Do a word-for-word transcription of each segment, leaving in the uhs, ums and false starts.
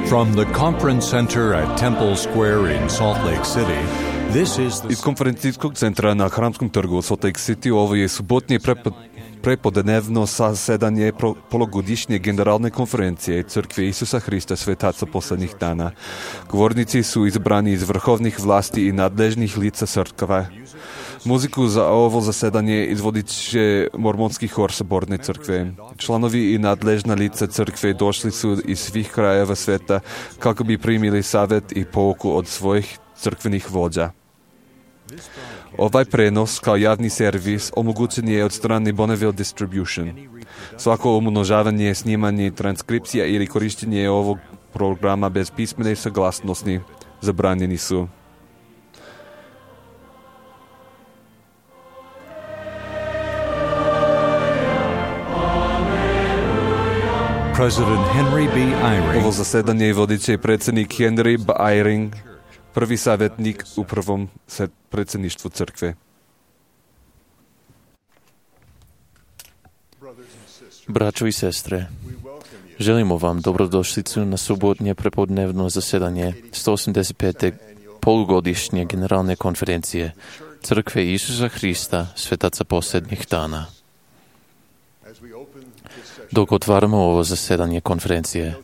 From the conference center at Temple Square in Salt Lake City, this is the... Iz konferencijskog centra na Hramskom trgu u Salt Lake City ovo je subotnje prepo, prepodnevno zasedanje polugodišnje generalne konferencije Crkve Isusa Hrista Svetaca poslednjih dana. Govornici su izabrani iz vrhovnih vlasti i nadležnih lica crkve. Muziku za ovo zasedanje izvodit će mormonski hor Saborne crkve. Članovi i nadležna lica crkve došli su iz svih krajeva sveta kako bi primili savjet i pouku od svojih crkvenih vođa. Ovaj prenos kao javni servis omogućen je od strane Bonneville Distribution. Svako umnožavanje, snimanje, transkripcija ili korištenje ovog programa bez pismene saglasnosti zabranjeni su. President Henry B. Eyring. Ovo zasedanje vodit će predsjednik Henry B. Eyring, prvi savjetnik u prvom predsjedništvu crkve. Braćo i sestre, želimo vam dobrodošlicu na subotnje prepodnevno zasedanje sto osamdeset pete polugodišnje generalne konferencije Crkve Isusa Hrista Svetaca posljednjih dana. Dok otvaramo ovo zasedanje konferencije,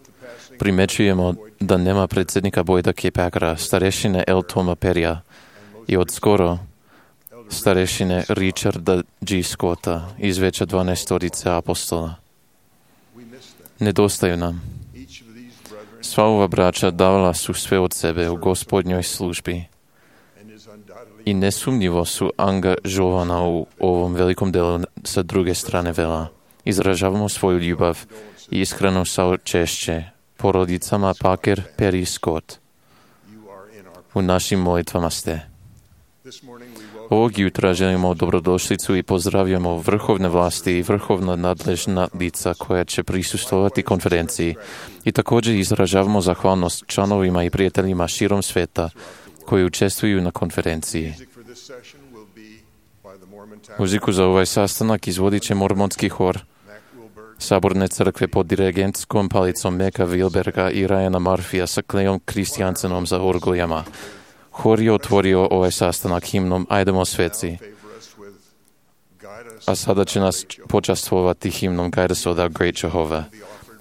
primećujemo da nema predsjednika Boyda K. Packera, starešine L. Toma Perrya i od skoro starešine Richarda G. Scotta iz veća dvanaestorice apostola. Nedostaju nam. Sva ova braća davala su sve od sebe u Gospodnjoj službi i nesumnjivo su angažovana u ovom velikom delu sa druge strane vela. Izražavamo svoju ljubav i iskreno saučešće porodicama Packer, Perry i Scott. U našim molitvama ste. Ovog jutra želimo dobrodošlicu i pozdravljamo vrhovne vlasti i vrhovna nadležna lica koja će prisustvovati konferenciji i također izražavamo zahvalnost članovima i prijateljima širom sveta koji učestvuju na konferenciji. Muziku za ovaj sastanak izvodit će mormonski hor Saborne crkve pod dirigentskom palicom Meka Wilberga i Ryana Murphyja sa Clayom Christiansenom za orgoljama. Hor je otvorio ovaj sastanak himnom Ajdemo sveci, a sada će nas počastvovati himnom Guide us, O thou great Jehovah.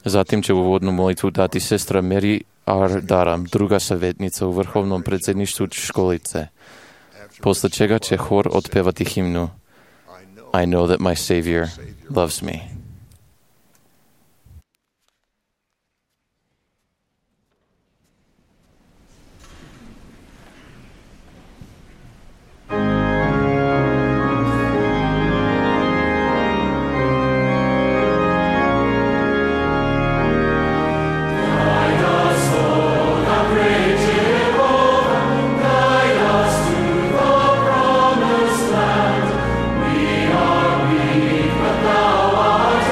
Zatim će uvodnu molitvu dati sestra Mary R. Daram, druga savjetnica u vrhovnom predsjedništvu školice, posle čega će hor otpevati himnu I know that my Savior loves me. Thou art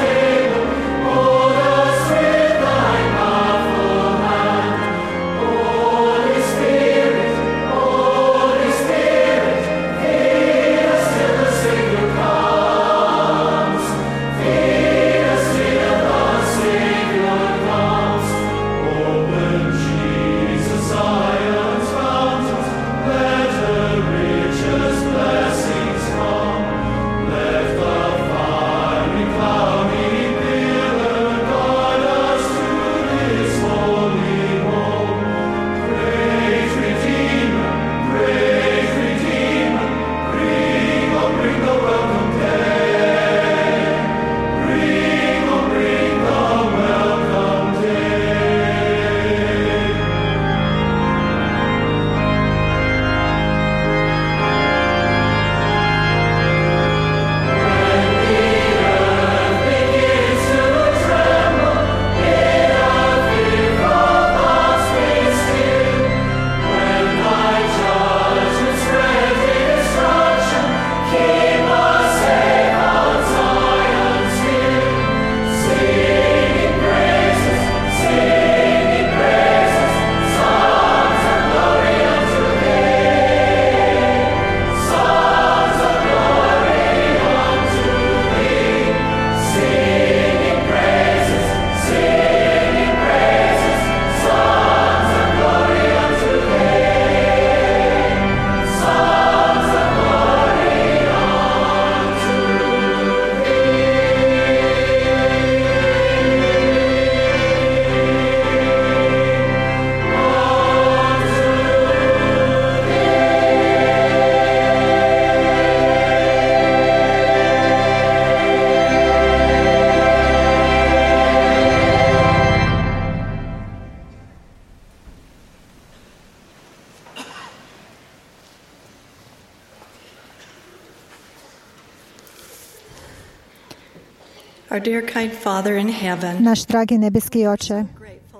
Naš dragi nebeski Oče,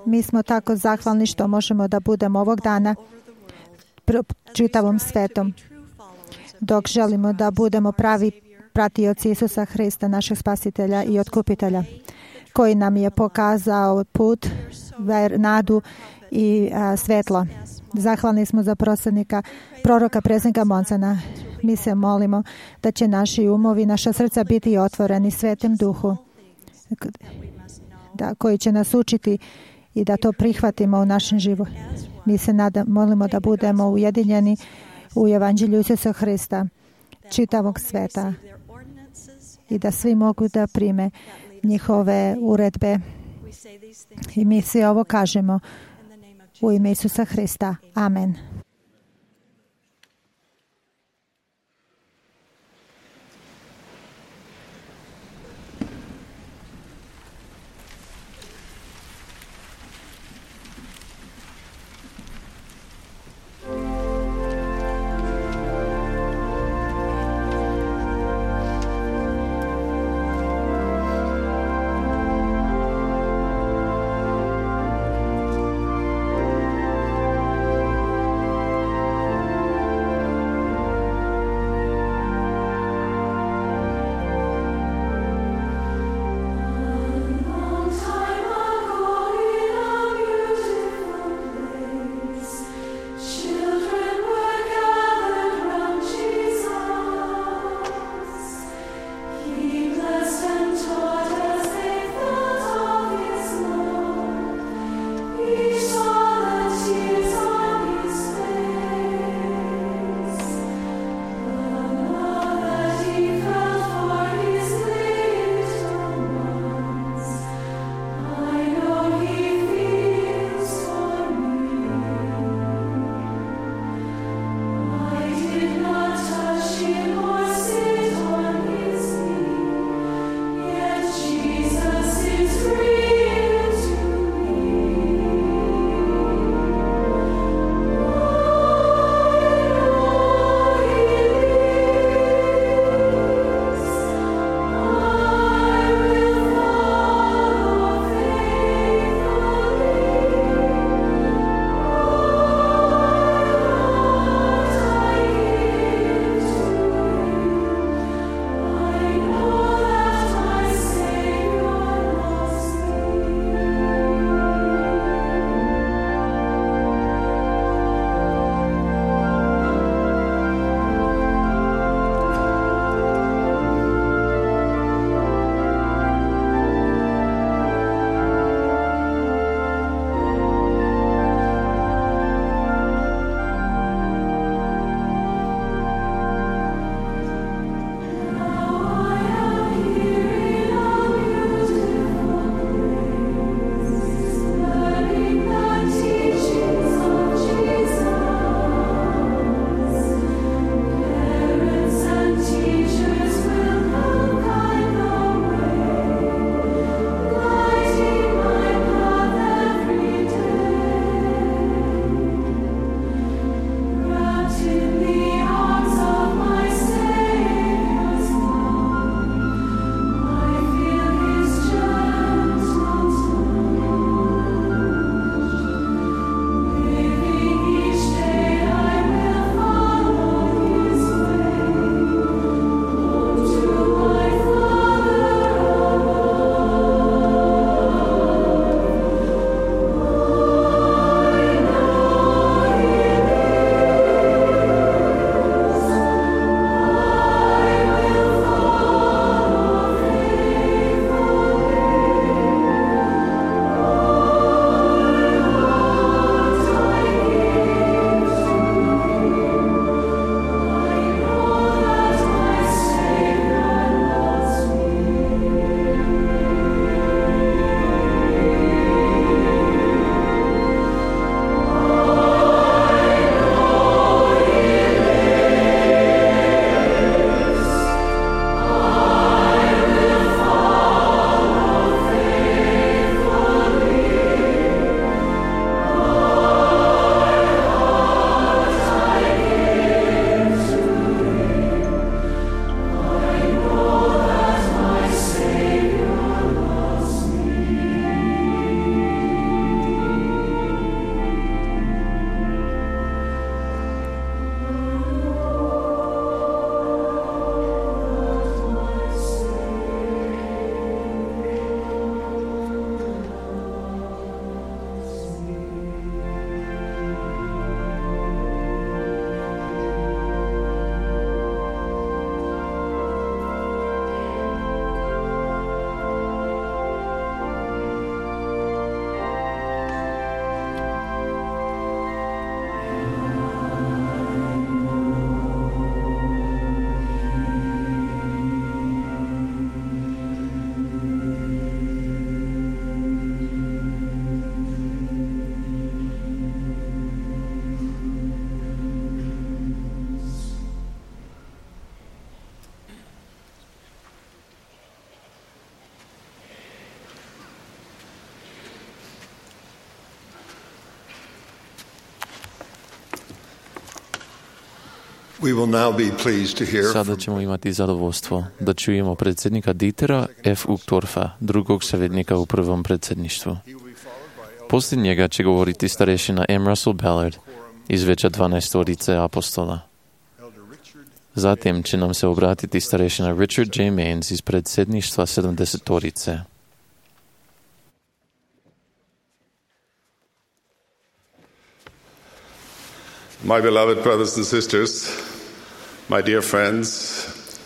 mi smo tako zahvalni što možemo da budemo ovog dana čitavom svetom, dok želimo da budemo pravi pratioci Isusa Hrista, našeg spasitelja i otkupitelja, koji nam je pokazao put, ver, nadu i a, svetlo. Zahvalni smo za proslednika, proroka predsjednika Monsana. Mi se molimo da će naši umovi, naša srca biti otvoreni Svetem Duhu, da, koji će nas učiti i da to prihvatimo u našem životu. Mi se nada, molimo da budemo ujedinjeni u Evanđelju Isusa Hrista, čitavog sveta, i da svi mogu da prime njihove uredbe. I mi svi ovo kažemo u ime Isusa Hrista. Amen. Sada ćemo imati zadovoljstvo da čujemo predsjednika Dietera F. Uchtdorfa, drugog savjetnika u prvom predsjedništvu. Poslije njega će govoriti starešina M. Russell Ballard iz veća dvanaestorice apostola. Zatim će nam se obratiti starešina Richard J. Maines iz predsjedništva sedamdesetorice. My beloved brothers and sisters, my dear friends,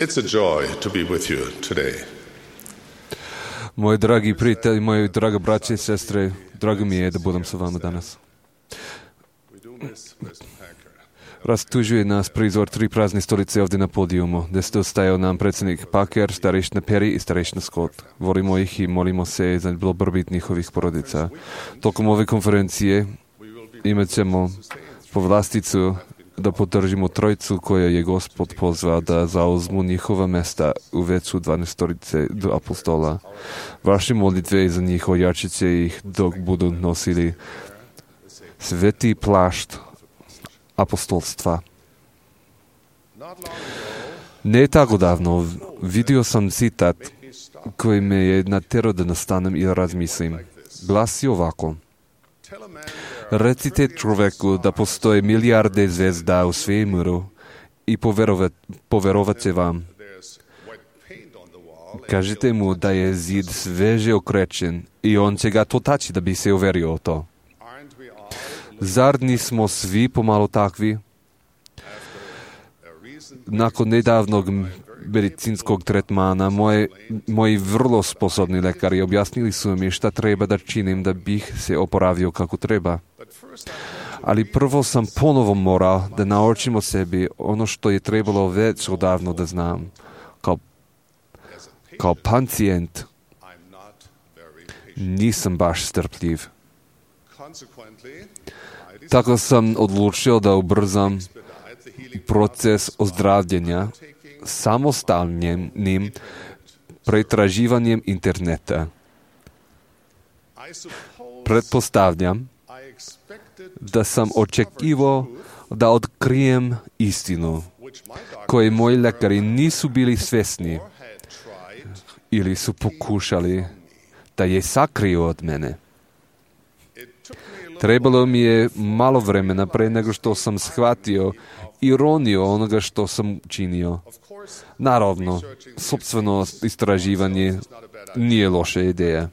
it's a joy to be with you today. Moji dragi prijatelji, moji draga braće i sestre, drago mi je da budem sa vama danas. Rastužuje nas prizor tri prazne stolice ovdje na podijumu, gdje ste ostajao nam predsjednik Packer, starešina Perry i starešina Scott. Volimo ih i molimo se za dobrobit njihovih porodica. Tokom ove konferencije imat ćemo povlasticu da podržimo trojicu koja je Gospod pozvao da zauzmu njihova mesta u veću dvanaestorice do apostola. Vaše molitve za njih ojačit će ih dok budu nosili sveti plašt apostolstva. Ne tako davno vidio sam citat koji me je natjerao da nastanem i razmislim. Glasi ovako: recite čovjeku da postoje milijarde zvezda u svemiru i poverovat, poverovat će vam. Kažite mu da je zid sveže okrečen i on će ga totaći da bi se uverio o to. Zar nismo svi pomalo takvi? Nakon nedavnog medicinskog tretmana moje, moji vrlo sposobni lekari objasnili su mi šta treba da činim da bih se oporavio kako treba. Ali prvo sam ponovo morao da naučim o sebi ono što je trebalo već odavno da znam. Kao, kao pacijent nisam baš strpljiv. Tako sam odlučio da ubrzam proces ozdravljenja samostalnim pretraživanjem interneta. Pretpostavljam da sam očekivao da otkrijem istinu koje moji lekari nisu bili svjesni ili su pokušali da je sakriju od mene. Trebalo mi je malo vremena pre nego što sam shvatio ironiju onoga što sam činio. Naravno, sopstveno istraživanje nije loša ideja.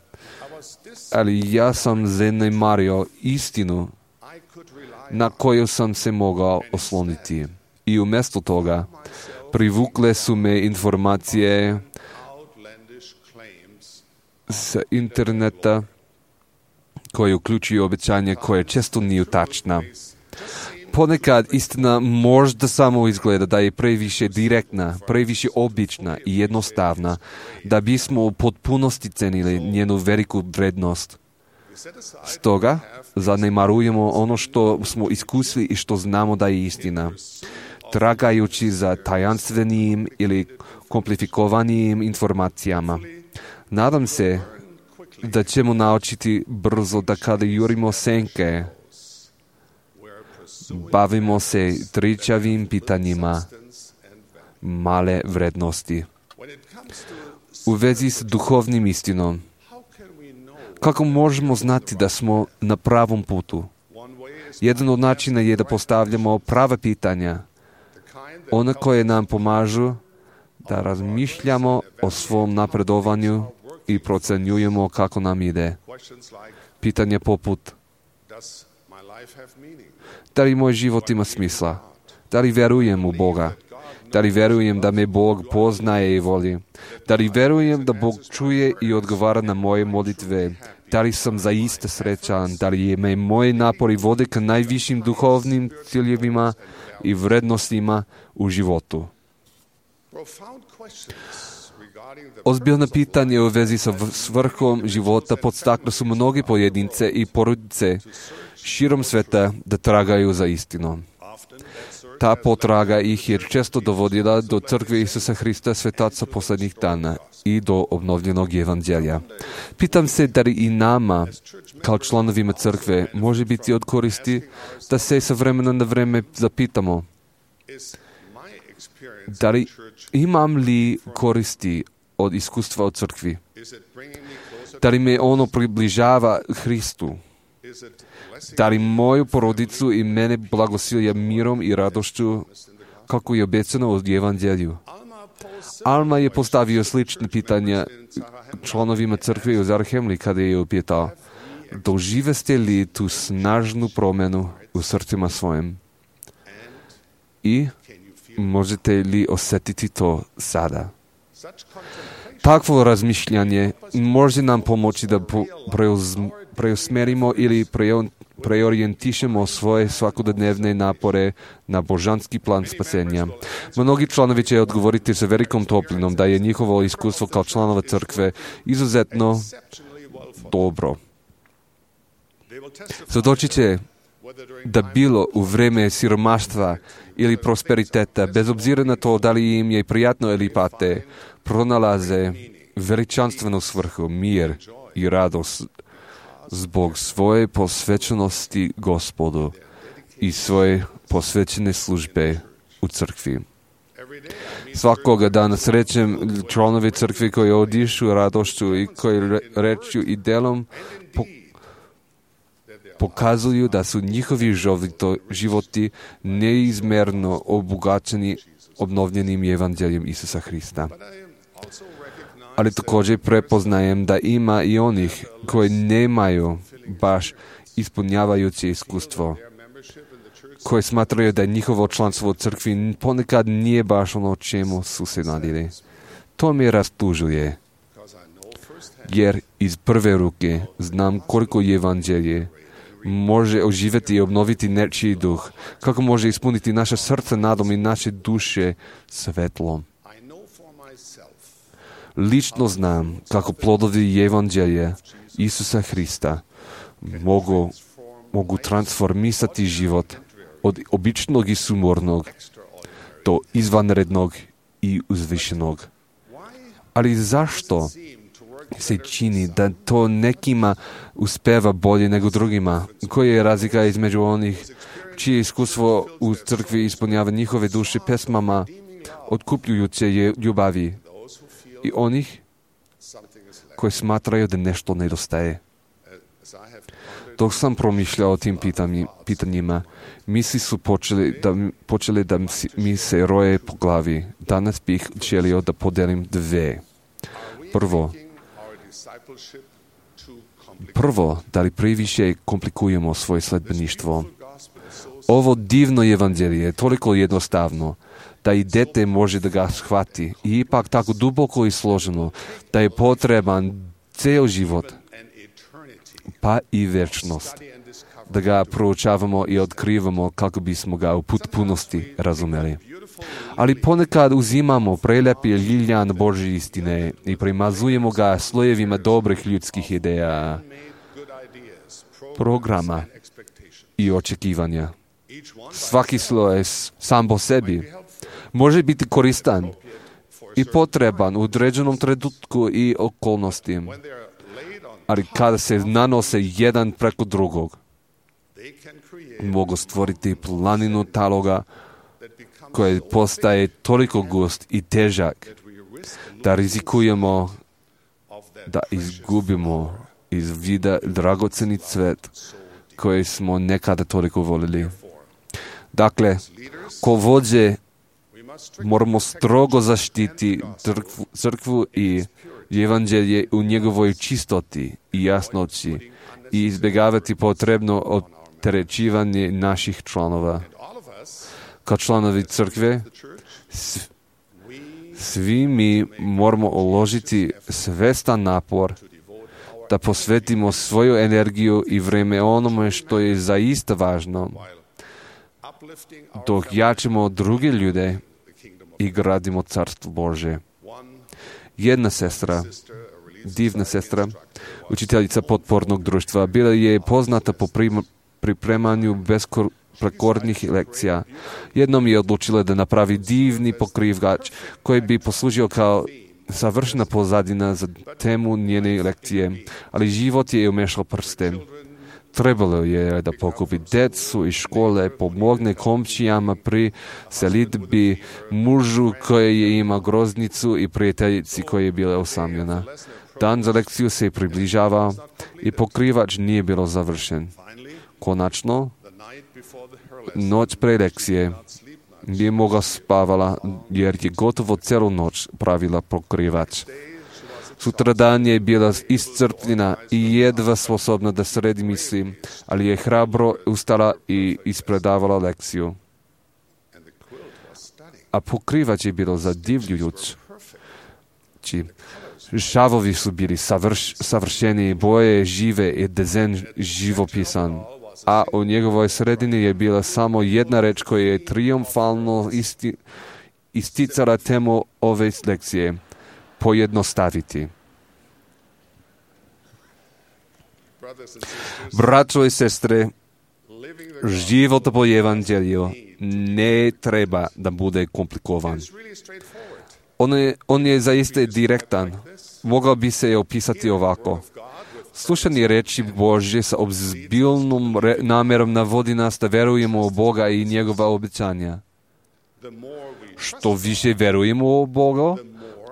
Ali ja sam zanemario istinu na koju sam se mogao osloniti. I umjesto toga privukle su me informacije s interneta koje uključuju obećanje koje često nije tačna. Ponekad istina možda samo izgleda da je previše direktna, previše obična i jednostavna, da bismo u potpunosti cenili njenu veliku vrednost. Stoga zanemarujemo ono što smo iskusili i što znamo da je istina, tragajući za tajanstvenijim ili komplifikovanijim informacijama. Nadam se da ćemo naučiti brzo da kada jurimo senke, bavimo se tričavim pitanjima male vrednosti. U vezi s duhovnim istinom, kako možemo znati da smo na pravom putu? Jedan od načina je da postavljamo prava pitanja, ona koje nam pomažu da razmišljamo o svom napredovanju i procenjujemo kako nam ide. Pitanje poput: da li moj život ima smisla? Da li verujem u Boga? Da li verujem da me Bog poznaje i voli? Da li verujem da Bog čuje i odgovara na moje molitve? Da li sam zaista srećan? Da li je me moje napori vode ka najvišim duhovnim ciljevima i vrednostima u životu? Ozbiljno pitanje u vezi sa svrhom života podstakle su mnogi pojedince i porodice širom sveta da tragaju za istinom. Ta potraga ih je često dovodila do crkve Isusa Hrista, svetaca posljednjih dana, i do obnovljenog evanđelja. Pitam se da li i nama, kao članovima crkve, može biti od koristi da se sa vremena na vreme zapitamo: Дали имам ли користи od iskustva od crkvi? Da li me ono približava Hristu? Da li moju porodicu i mene blagosilja mirom i radošću kako je obećano od Evanđelju? Alma je postavio slične pitanja članovima crkve u Zarhemli kada je upitao: doživeste li tu snažnu promjenu u srcima svojim? I možete li osjetiti to sada? Takvo razmišljanje može nam pomoći da preusmerimo ili preorijentišemo svoje svakodnevne napore na božanski plan spasenja. Mnogi članovi će odgovoriti sa velikom toplinom da je njihovo iskustvo kao članova crkve izuzetno dobro. Svjedočit će da bilo u vreme siromaštva ili prosperiteta, bez obzira na to da li im je prijatno ili pate, pronalaze veličanstvenu svrhu, mir i radost zbog svoje posvećenosti Gospodu i svoje posvećene službe u crkvi. Svakoga dana srećem članovi crkve koji odišu radošću i koji rečju i delom po, pokazuju da su njihovi životi neizmerno obogaćeni obnovljenim evanđeljem Isusa Hrista. Ali također prepoznajem da ima i onih koji nemaju baš ispunjavajuće iskustvo, koji smatraju da njihovo članstvo u crkvi ponekad nije baš ono čemu su se nadili. To me rastužuje, jer iz prve ruke znam koliko evanđelje može oživjeti i obnoviti nečiji duh, kako može ispuniti naše srce nadom i naše duše svetlom. Lično znam kako plodovi evanđelja Isusa Hrista mogu, mogu transformisati život od običnog i sumornog do izvanrednog i uzvišenog. Ali zašto se čini da to nekima uspeva bolje nego drugima? Koja je razlika između onih čije iskustvo u crkvi ispunjava njihove duše pesmama otkupljujuće ljubavi i onih koji smatraju da nešto nedostaje? Dok sam promišljao o tim pitanjima, misli su počeli da, počeli da mi se roje po glavi. Danas bih želio da podelim dve. Prvo, Prvo, da li previše komplikujemo svoje sledbeništvo? Ovo divno evanđelje je toliko jednostavno da i dete može da ga shvati i ipak tako duboko i složeno da je potreban ceo život, pa i večnost, da ga proučavamo i otkrivamo kako bismo ga u potpunosti razumeli. Ali ponekad uzimamo prelepi ljiljan Božje istine i primazujemo ga slojevima dobrih ljudskih ideja, programa i očekivanja. Svaki sloj sam po sebi može biti koristan i potreban u određenom trenutku i okolnosti, ali kada se nanose jedan preko drugog, mogu stvoriti planinu taloga koji postaje toliko gust i težak da rizikujemo da izgubimo iz vida dragoceni cvet koji smo nekada toliko volili. Dakle, ko vođe moramo strogo zaštiti crkvu, crkvu i evanđelje u njegovoj čistoti i jasnoći i izbjegavati potrebno opterećivanje naših članova. Kao članovi crkve, svi mi moramo uložiti svestan napor da posvetimo svoju energiju i vreme onome što je zaista važno, dok jačimo druge ljude i gradimo carstvo Božje. Jedna sestra, divna sestra, učiteljica potpornog društva, bila je poznata po pripremanju besprekornih lekcija. Jednom je odlučila da napravi divni pokrivač koji bi poslužio kao savršena pozadina za temu njene lekcije, ali život je umešao prste. Trebalo je da pokupi decu iz škole, pomogne komšijama pri selidbi, mužu koji je imao groznicu i prijateljici koja je bila osamljena. Dan za lekciju se je približavao i pokrivač nije bilo završen. Konačno, noć pre lekcije nije mogla spavala jer je gotovo celu noć pravila pokrivač. Sutradan je bila iscrpljena i jedva sposobna da sredi misli, ali je hrabro ustala i ispredavala lekciju. A pokrivač je bilo zadivljujuć. Šavovi su bili savrš, savršeni, boje žive i dezen živopisan. A u njegovoj sredini je bila samo jedna reč koja je triumfalno isti, isticala temu ove lekcije. Pojednostaviti. Braćo i sestre, život po evanđelju ne treba da bude komplikovan. On je, on je zaista direktan. Mogao bi se je opisati ovako. Slušanje reči Božje sa obzbilnom re, namerom navodi nas da verujemo u Boga i njegova obećanja. Što više verujemo u Boga,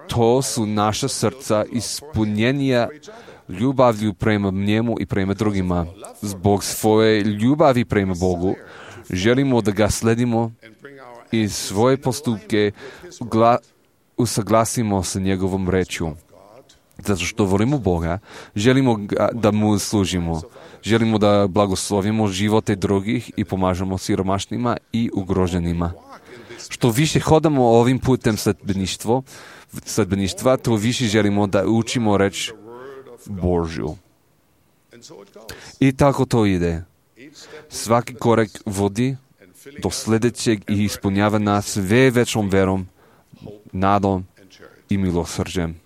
to su naša srca ispunjenija ljubavlju prema njemu i prema drugima. Zbog svoje ljubavi prema Bogu želimo da ga sledimo i svoje postupke gla, usaglasimo sa njegovom rečju. Zato što volimo Boga, želimo ga, da mu služimo. Želimo da blagoslovimo živote drugih i pomažemo siromašnima i ugroženima. Što više hodamo ovim putem sledbeništva, sledbeništva, to više želimo da učimo reč Božju. I tako to ide. Svaki korak vodi do sljedećeg i ispunjava nas sve većom verom, nadom i milosrđem.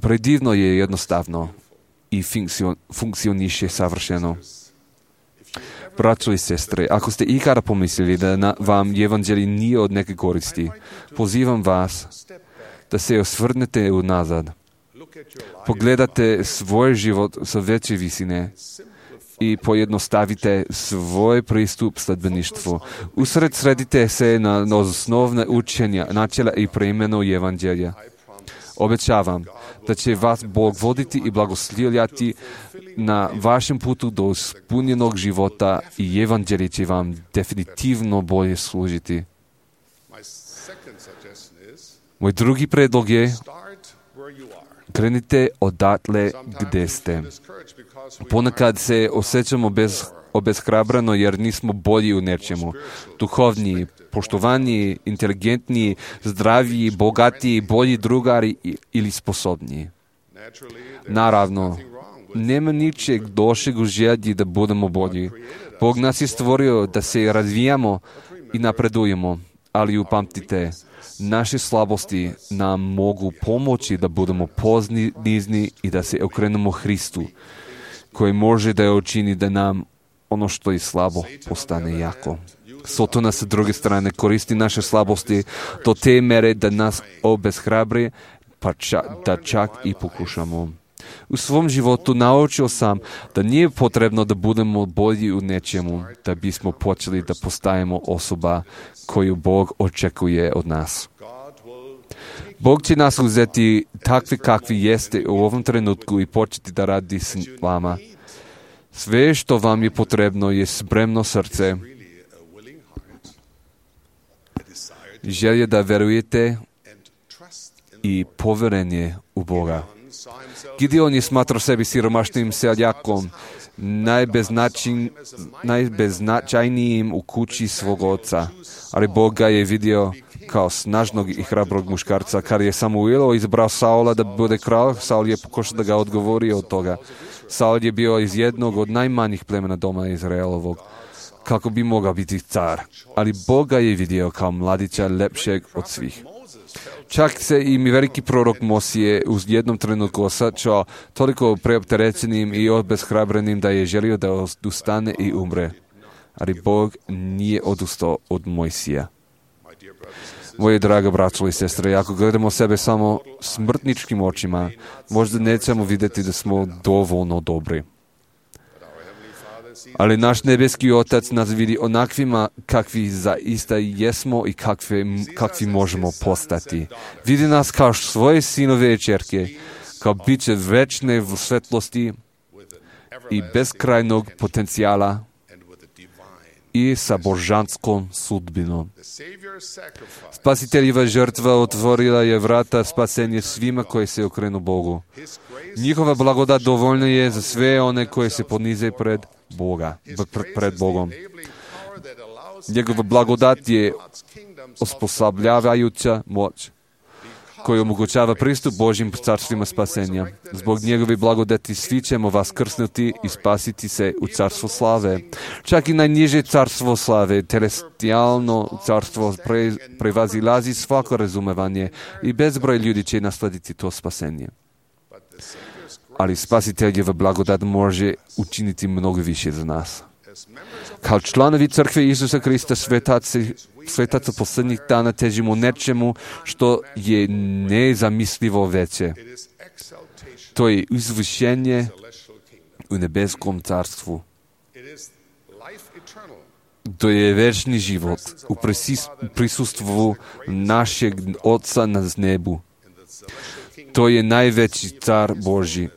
Predivno je jednostavno i funkcioniše savršeno. Braćo i sestre, ako ste ikada pomislili da na, vam evanđelje nije od neke koristi, pozivam vas da se osvrnete unazad. Pogledate svoj život sa veće visine i pojednostavite svoj pristup sledbeništvu. Usred sredite se na, na osnovne učenja, načela i preimenu evanđelja. Obećavam da će vas Bog voditi i blagoslovljati na vašem putu do ispunjenog života i evanđelje će vam definitivno bolje služiti. Moj drugi predlog je krenite odatle gde ste. Ponekad se osjećamo bez, obeshrabrano jer nismo bolji u nečemu. Duhovniji, poštovaniji, inteligentniji, zdraviji, bogatiji, bolji drugari ili sposobniji. Naravno, nema ničeg došeg u želji da budemo bolji. Bog nas je stvorio da se razvijamo i napredujemo, ali upamtite, naše slabosti nam mogu pomoći da budemo ponizni i da se okrenemo Hristu, koji može da je učini da nam ono što je slabo postane jako. Sotona sa druge strane koristi naše slabosti do te mere da nas obeshrabri, pa ča, da čak i pokušamo. U svom životu naučio sam da nije potrebno da budemo bolji u nečemu, da bismo počeli da postajemo osoba koju Bog očekuje od nas. Bog će nas uzeti takvi kakvi jeste u ovom trenutku i početi da radi s vama. Sve što vam je potrebno je spremno srce, želje da verujete i poverenje u Boga. Gideon je smatrao sebi siromašnim seljakom, najbeznačajn, najbeznačajnijim u kući svog oca, ali Bog ga je vidio kao snažnog i hrabrog muškarca. Kad je Samuel izbrao Saula da bude kralj, Saul je pokušao da ga odgovori od toga. Saul je bio iz jednog od najmanjih plemena doma Izraelovog, kako bi mogao biti car. Ali Bog ga je vidio kao mladića lepšeg od svih. Čak se i mi veliki prorok Mosije u jednom trenutku osjećao toliko preopterećenim i obeshrabrenim da je želio da ustane i umre. Ali Bog nije odustao od Mojsija. Moje draga braćo i sestre, ako gledamo sebe samo smrtničkim očima, možda nećemo vidjeti da smo dovoljno dobri. Ali naš nebeski Otac nas vidi onakvima kakvi zaista jesmo i kakvi, kakvi možemo postati. Vidi nas kao svoje sinove i ćerke, kao biće večne v svetlosti i beskrajnog potencijala i sa božanskom sudbinom. Spasiteljeva žrtva otvorila je vrata spasenje svima koji se okrenu Bogu. Njihova blagodat dovoljna je za sve one koji se ponize pred Boga, pred Bogom. Njegova blagodat je osposobljavajuća moć koji omogućava pristup Božjim carstvima spasenja. Zbog njegove blagodati svi ćemo vas krsnuti i spasiti se u carstvo slave. Čak i najniže carstvo slave, celestijalno carstvo, pre, prevazilazi svako razumevanje i bezbroj ljudi će naslediti to spasenje. Ali spasiteljeva blagodat može učiniti mnogo više za nas. Kao članovi crkve Isusa Krista, svetaci, svetaca posljednjih dana težimo nečemu što je nezamislivo veće. To je izvršenje u nebeskom carstvu. To je večni život u prisustvu našeg Oca na nebu. To je najveći car Božji.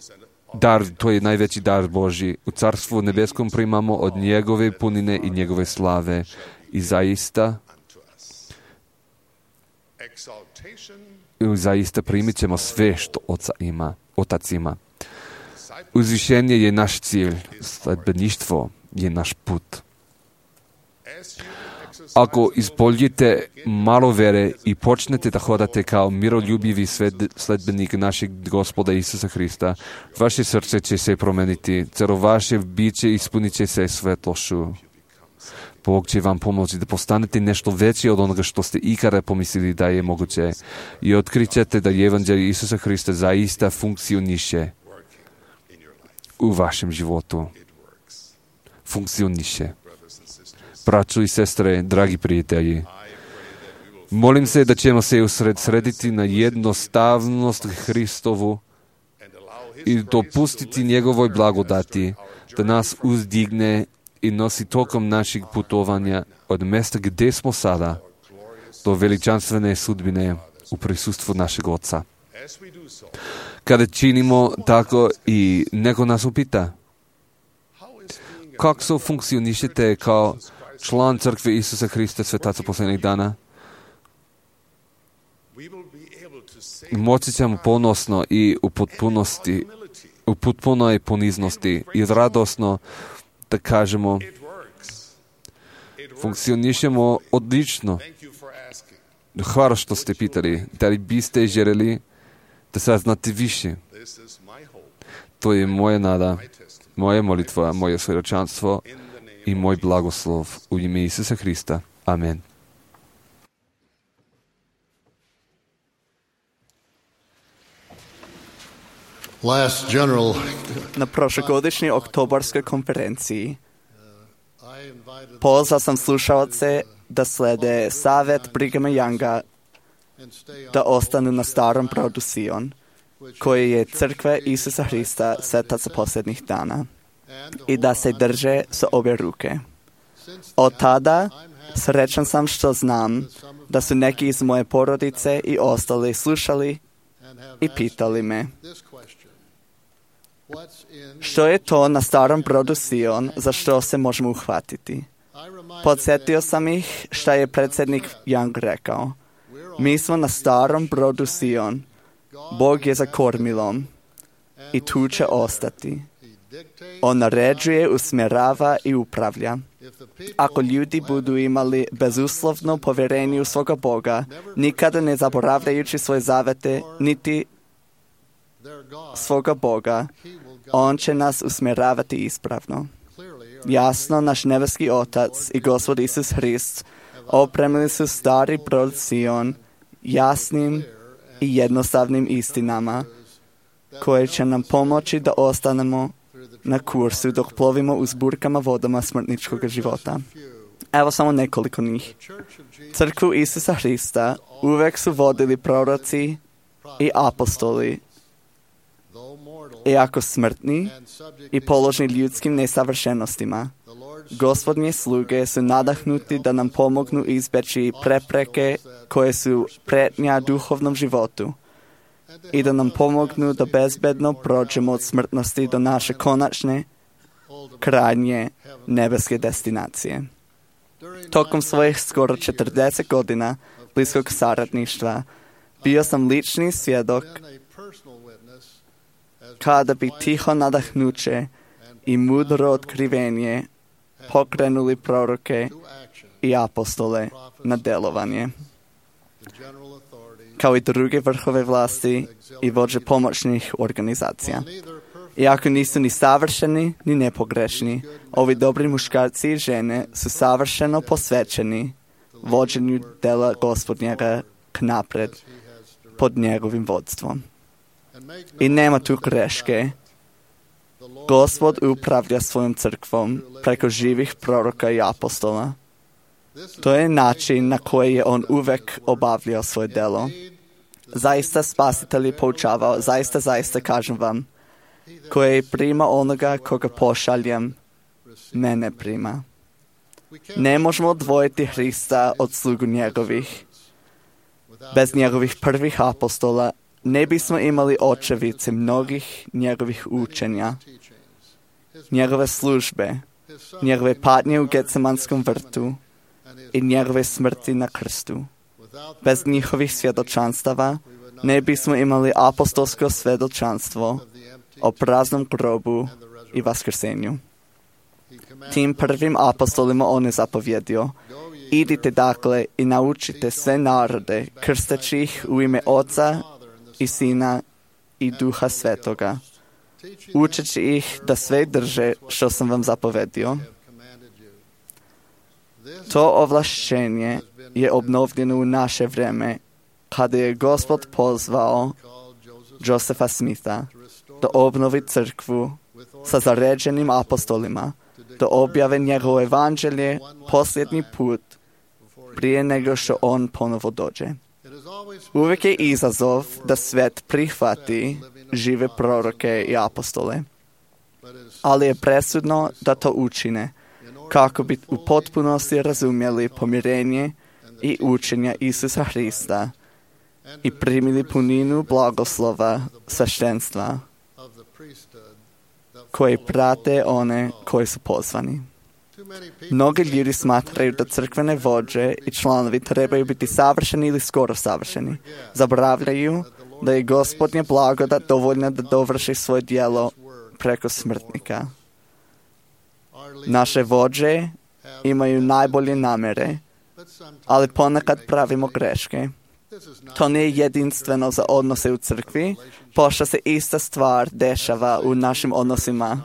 Dar, to je najveći dar Božji. U carstvu nebeskom primamo od njegove punine i njegove slave. I zaista, i zaista primit ćemo sve što Oca ima, Otac ima. Uzvišenje je naš cilj, sledbeništvo je naš put. Ako ispoljite malo vere i počnete da hodate kao miroljubivi sledbenik našeg Gospoda Isusa Hrista, vaše srce će se promeniti, celo vaše biće ispunit će se svetlošću. Bog će vam pomoći da postanete nešto veće od onoga što ste ikada pomislili da je moguće i otkrićete da evanđelje Isusa Hrista zaista funkcioniše u vašem životu. Funkcioniše. Braćo i sestre, dragi prijatelji, molim se da ćemo se usredsrediti na jednostavnost Hristovu i dopustiti njegovoj blagodati da nas uzdigne i nosi tokom našeg putovanja od mjesta gdje smo sada do veličanstvene sudbine u prisustvu našeg Oca. Kada činimo tako i neko nas upita, kako se funkcionišete kao član crkve Isusa Hrista, svetaca posljednjih dana? Moći ćemo ponosno i u potpunosti, u potpunoj poniznosti i radosno da kažemo, funkcionišemo odlično. Hvala što ste pitali. Da li biste željeli da saznate više? To je moja nada, moja molitva, moje svjedočanstvo i moj blagoslov u ime Isusa Hrista. Amen. Last general, Na prošlogodišnjoj oktobarskoj konferenciji pozvao sam slušalce da slede savjet Brighama Younga da ostanu na starom brodu Sion, koji je crkve Isusa Hrista, svetaca posljednjih dana, i da se drže sa obje ruke. Od tada srećan sam što znam da su neki iz moje porodice i ostali slušali i pitali me, što je to na starom brodu Sion za što se možemo uhvatiti? Podsjetio sam ih šta je predsjednik Young rekao. Mi smo na starom brodu Sion. Bog je za kormilom i tu će ostati. On naređuje, usmjerava i upravlja. Ako ljudi budu imali bezuslovno povjerenje u svoga Boga, nikada ne zaboravljajući svoje zavete, niti svoga Boga, on će nas usmjeravati ispravno. Jasno, naš nebeski Otac i Gospod Isus Hrist opremili su stari brod Sion jasnim i jednostavnim istinama, koje će nam pomoći da ostanemo na kursu dok plovimo uz burkama vodama smrtničkog života. Evo samo nekoliko njih. Crkvu Isusa Hrista uvek su vodili proroci i apostoli, iako smrtni i položni ljudskim nesavršenostima. Gospodnje sluge su nadahnuti da nam pomognu izbeći prepreke koje su pretnja duhovnom životu i da nam pomognu da bezbedno prođemo od smrtnosti do naše konačne, krajnje nebeske destinacije. Tokom svojih skoro četrdeset godina bliskog saradništva bio sam lični svjedok kada bi tiho nadahnuće i mudro otkrivenje pokrenuli proroke i apostole na delovanje, kao i druge vrhove vlasti i vođe pomoćnih organizacija. Iako nisu ni savršeni, ni nepogrešni, ovi dobri muškarci i žene su savršeno posvećeni vođenju dela Gospodnjega k napred pod njegovim vodstvom. I nema tu greške. Gospod upravlja svojom crkvom preko živih proroka i apostola. To je način na koji je on uvek obavljao svoje delo. Zaista spasitelj je poučavao, zaista, zaista kažem vam, koje prima onoga koga pošaljem, mene prima. Ne možemo odvojiti Hrista od slugu njegovih. Bez njegovih prvih apostola ne bismo imali očevice mnogih njegovih učenja, njegove službe, njegove patnje u Getsemanskom vrtu i njegove smrti na krstu. Bez njihovih svjedočanstava ne bismo imali apostolsko svjedočanstvo o praznom grobu i vaskrsenju. Tim prvim apostolima on je zapovjedio: idite dakle i naučite sve narode, krsteći ih u ime Oca i Sina i Duha Svetoga, učeći ih da sve drže što sam vam zapovedio. To ovlašćenje je obnovljeno u naše vreme, kada je Gospod pozvao Josefa Smitha da obnovi crkvu sa zaređenim apostolima, da objave njegovo evanđelje posljednji put prije nego što on ponovo dođe. Uvijek je izazov da svet prihvati žive proroke i apostole, ali je presudno da to učine kako bi u potpunosti razumjeli pomirenje i učenja Isusa Hrista i primili puninu blagoslova sveštenstva koji prate one koji su pozvani. Mnogi ljudi smatraju da crkvene vođe i članovi trebaju biti savršeni ili skoro savršeni. Zaboravljaju da je Gospodnja blagodat dovoljna da dovrši svoje djelo preko smrtnika. Naše vođe imaju najbolje namjere, ali ponekad pravimo greške. To nije jedinstveno za odnose u crkvi, pošto se ista stvar dešava u našim odnosima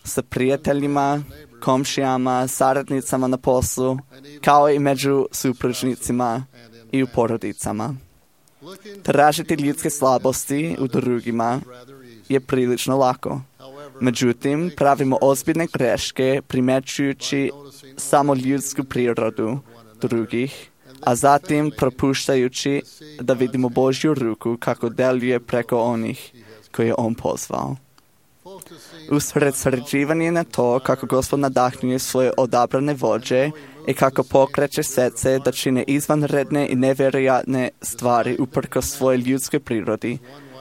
sa prijateljima, komšijama, saradnicama na poslu, kao i među supružnicima i u porodicama. Tražiti ljudske slabosti u drugima je prilično lako. Međutim, pravimo ozbiljne greške primećujući samo ljudsku prirodu drugih, a zatim propuštajući da vidimo Božju ruku kako deluje preko onih koje je on pozvao. Usredsređivanje na to kako Gospod nadahnuje svoje odabrane vođe i kako pokreće svece da čine izvanredne i nevjerojatne stvari uprkos svoje ljudskoj prirodi,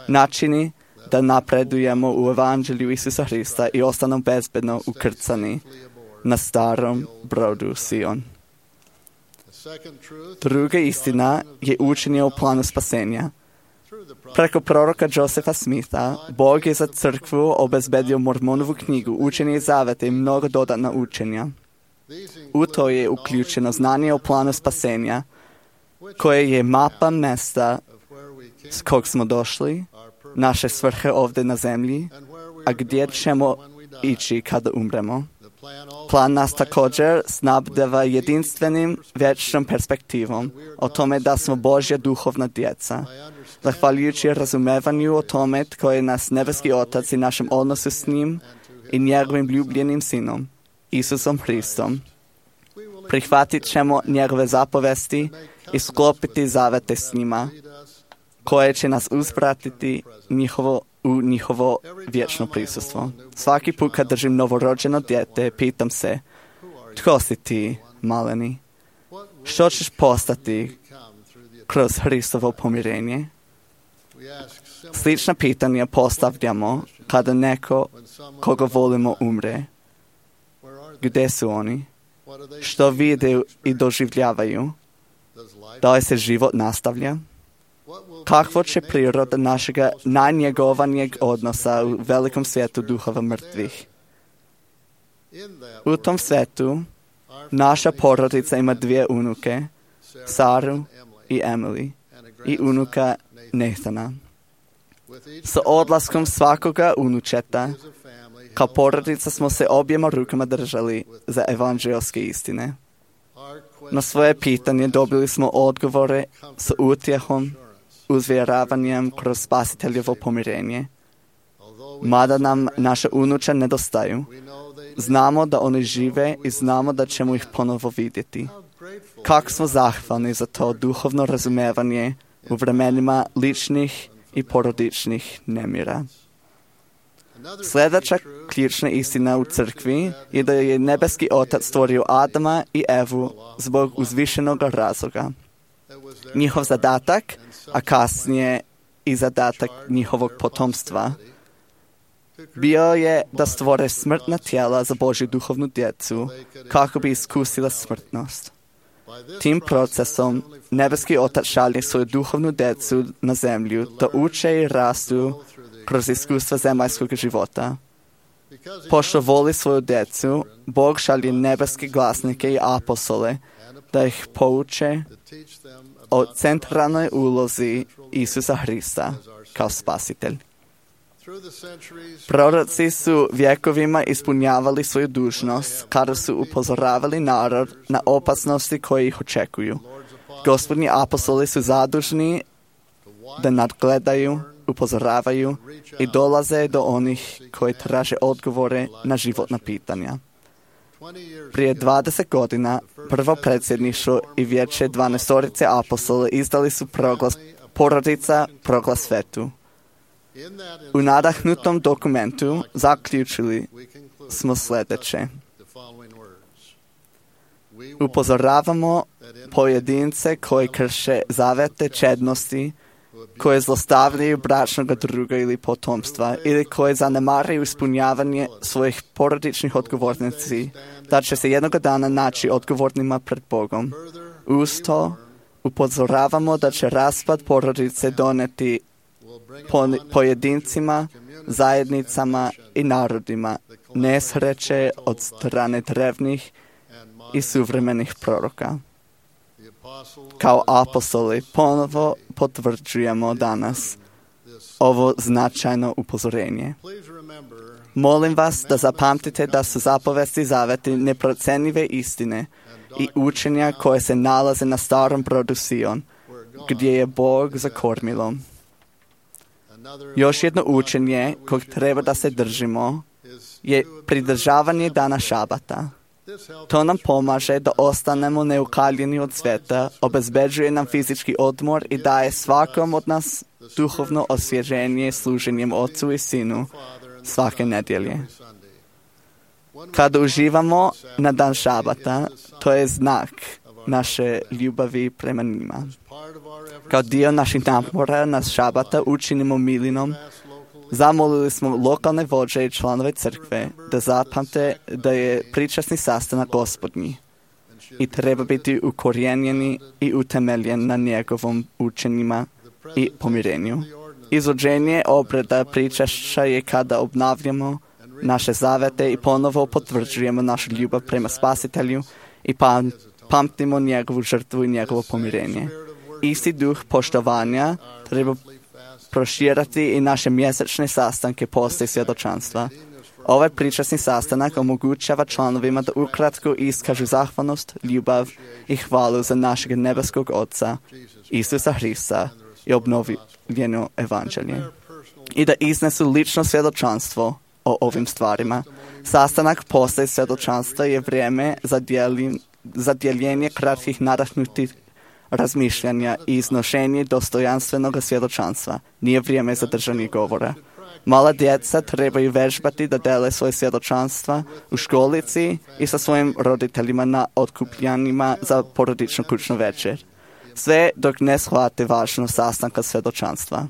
načini da napredujemo u evanđelju Isusa Hrista i ostanu bezbedno ukrcani na starom brodu Sion. Druga istina je učenje o planu spasenja. Preko proroka Josefa Smitha, Bog je za crkvu obezbedio Mormonovu knjigu, učenje zaveta i mnogo dodatna učenja. U to je uključeno znanje o planu spasenja, koje je mapa mesta s kog smo došli, naše svrhe ovdje na zemlji, a gdje ćemo ići kada umremo. Plan nas također snabdeva jedinstvenim vječnom perspektivom o tome da smo Božja duhovna djeca. Zahvaljujući razumevanju o tome tko je nas nebeski Otac i našem odnosu s njim i njegovim ljubljenim Sinom, Isusom Hristom, Prihvatit ćemo njegove zapovesti i sklopiti zavete s njima, koje će nas uspratiti njihovo, u njihovo vječno prisustvo. Svaki put kad držim novorođeno dijete, pitam se, tko si ti, maleni? Što ćeš postati kroz Hristovo pomirenje? Slična pitanja postavljamo kada neko koga volimo umre. Gdje su oni? Što vide i doživljavaju? Da li se život nastavlja? Kakvo će priroda našeg najnjegovanijeg odnosa u velikom svijetu duhova mrtvih? U tom svijetu naša porodica ima dvije unuke, Saru i Emily, i unuka Nathana. Sa odlaskom svakoga unučeta, kao porodica smo se objema rukama držali za evanđelske istine. Na svoje pitanje dobili smo odgovore s utjehom, uzvjeravanjem kroz spasiteljevo pomirenje. Mada nam naše unuče nedostaju, znamo da oni žive i znamo da ćemo ih ponovo vidjeti. Kako smo zahvalni za to duhovno razumevanje u vremenima ličnih i porodičnih nemira. Sljedeća ključna istina u crkvi je da je nebeski Otac stvorio Adama i Evu zbog uzvišenog razloga. Njihov zadatak, a kasnije i zadatak njihovog potomstva, bio je da stvore smrtna tijela za Božju duhovnu djecu kako bi iskusila smrtnost. Tim procesom nebeski Otac šalje svoju duhovnu djecu na zemlju da uče i rastu kroz iskustva zemaljskog života. Pošto voli svoju djecu, Bog šalje nebeske glasnike i apostole da ih pouče o centralnoj ulozi Isusa Hrista kao spasitelj. Proroci su vjekovima ispunjavali svoju dužnost kada su upozoravali narod na opasnosti koje ih očekuju. Gospodnji apostoli su zadužni da nadgledaju, upozoravaju i dolaze do onih koji traže odgovore na životna pitanja. Prije dvadeset godina prvo predsjedništvo i vijeće dvanaestorice apostola izdali su proglas porodica proglas svetu. U nadahnutom dokumentu zaključili smo sljedeće. Upozoravamo pojedince koji krše zavete čednosti, koje zlostavljaju bračnog druga ili potomstva ili koje zanemaruju ispunjavanje svojih porodičnih odgovornosti, da će se jednog dana naći odgovornima pred Bogom. Uz to upozoravamo da će raspad porodice doneti pojedincima, zajednicama i narodima nesreće od strane drevnih i suvremenih proroka. Kao apostoli ponovo potvrđujemo danas ovo značajno upozorenje. Molim vas da zapamtite da su zapovesti zaveti neprocjenjive istine i učenja koje se nalaze na starom brodu Sion, gdje je Bog za kormilom. Još jedno učenje kojeg treba da se držimo je pridržavanje dana šabata. To nam pomaže da ostanemo neukaljeni od svijeta, obezbeđuje nam fizički odmor i daje svakom od nas duhovno osvježenje služenjem Otcu i Sinu svake nedjelje. Kada uživamo na dan šabata, to je znak naše ljubavi prema njima. Kao dio naših napora na šabata učinimo milinom, zamolili smo lokalne vođe i članove crkve da zapamte da je pričasni sastanak Gospodnji i treba biti ukorijenjeni i utemeljen na njegovom učenjima i pomirenju. Izvođenje obreda pričašća je kada obnavljamo naše zavete i ponovo potvrđujemo našu ljubav prema Spasitelju i pam, pamtimo njegovu žrtvu i njegovo pomirenje. Isti duh poštovanja treba proširati i naše mjesečne sastanke posta i svjedočanstva. Ovaj pričasni sastanak omogućava članovima da ukratko iskažu zahvalnost, ljubav i hvalu za našeg nebeskog Oca, Isusa Hrista i obnovljeno evanđelje. I da iznesu lično svjedočanstvo o ovim stvarima. Sastanak posta i svjedočanstva je vrijeme za dijelim, za dijeljenje kratkih nadahnutih razmišljanja i iznošenje dostojanstvenog svjedočanstva. Nije vrijeme za držanje govora. Mala djeca trebaju vežbati da dele svoje svjedočanstva u školici i sa svojim roditeljima na otkupljanjima za porodičnu kućnu večer. Sve dok ne shvate važnost sastanka svjedočanstva.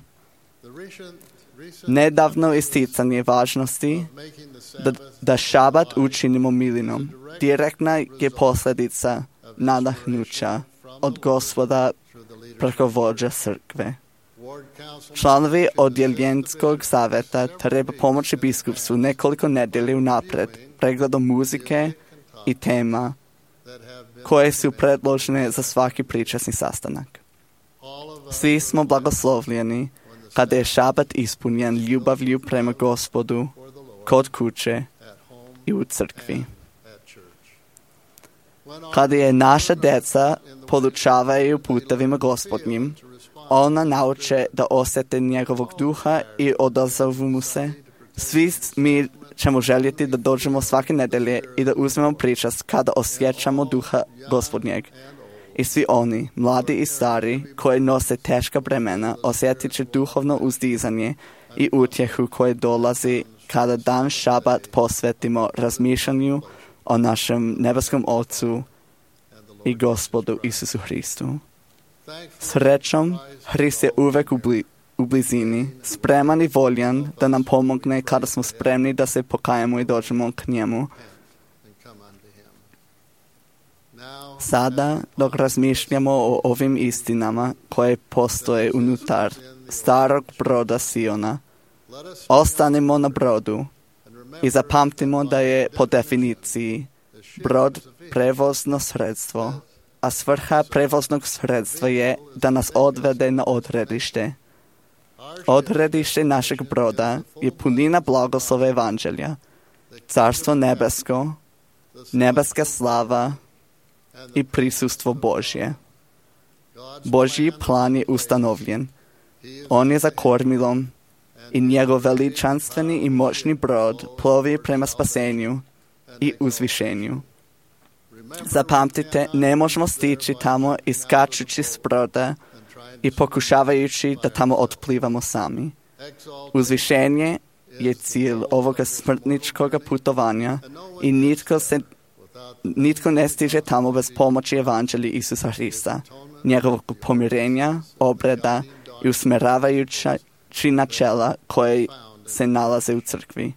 Nedavno isticanje važnosti da, da šabat učinimo milinom direktna je posljedica nadahnuća od Gospoda preko vođa crkve. Članovi odjeljenskog savjeta treba pomoći biskupstvu nekoliko nedelje unaprijed pregledom muzike i tema koje su predložene za svaki pričasni sastanak. Svi smo blagoslovljeni kada je šabat ispunjen ljubavlju prema Gospodu kod kuće i u crkvi. Kada je naša djeca podučavaju putevima Gospodnjim, ona nauče da osjete njegovog duha i odazovu mu se. Svi mi ćemo željeti da dođemo svake nedelje i da uzmemo pričast kada osjećamo duha Gospodnjeg. I svi oni, mladi i stari, koji nose teška bremena, osjetit će duhovno uzdizanje i utjehu koje dolazi kada dan šabat posvetimo razmišljanju o našem nebeskom Ocu i Gospodu Isusu Hristu. Srećom, Hrist je uvek u, bli, u blizini, spreman i voljan da nam pomogne kada smo spremni da se pokajemo i dođemo k njemu. Sada, dok razmišljamo o ovim istinama koje postoje unutar starog broda Siona, ostanimo na brodu i zapamtimo da je po definiciji brod prevozno sredstvo, a svrha prevoznog sredstva je da nas odvede na odredište. Odredište našeg broda je punina blagoslova evanđelja, carstvo nebesko, nebeska slava i prisustvo Božje. Božji plan je ustanovljen. On je za kormilom i njegov veličanstveni i moćni brod plovi prema spasenju i uzvišenju. Zapamtite, ne možemo stići tamo iskačući s broda i pokušavajući da tamo otplivamo sami. Uzvišenje je cilj ovoga smrtničkog putovanja i nitko, se, nitko ne stiže tamo bez pomoći evanđelja Isusa Hrista, njegovog pomirenja, obreda i usmeravajući načela koje se nalaze u crkvi.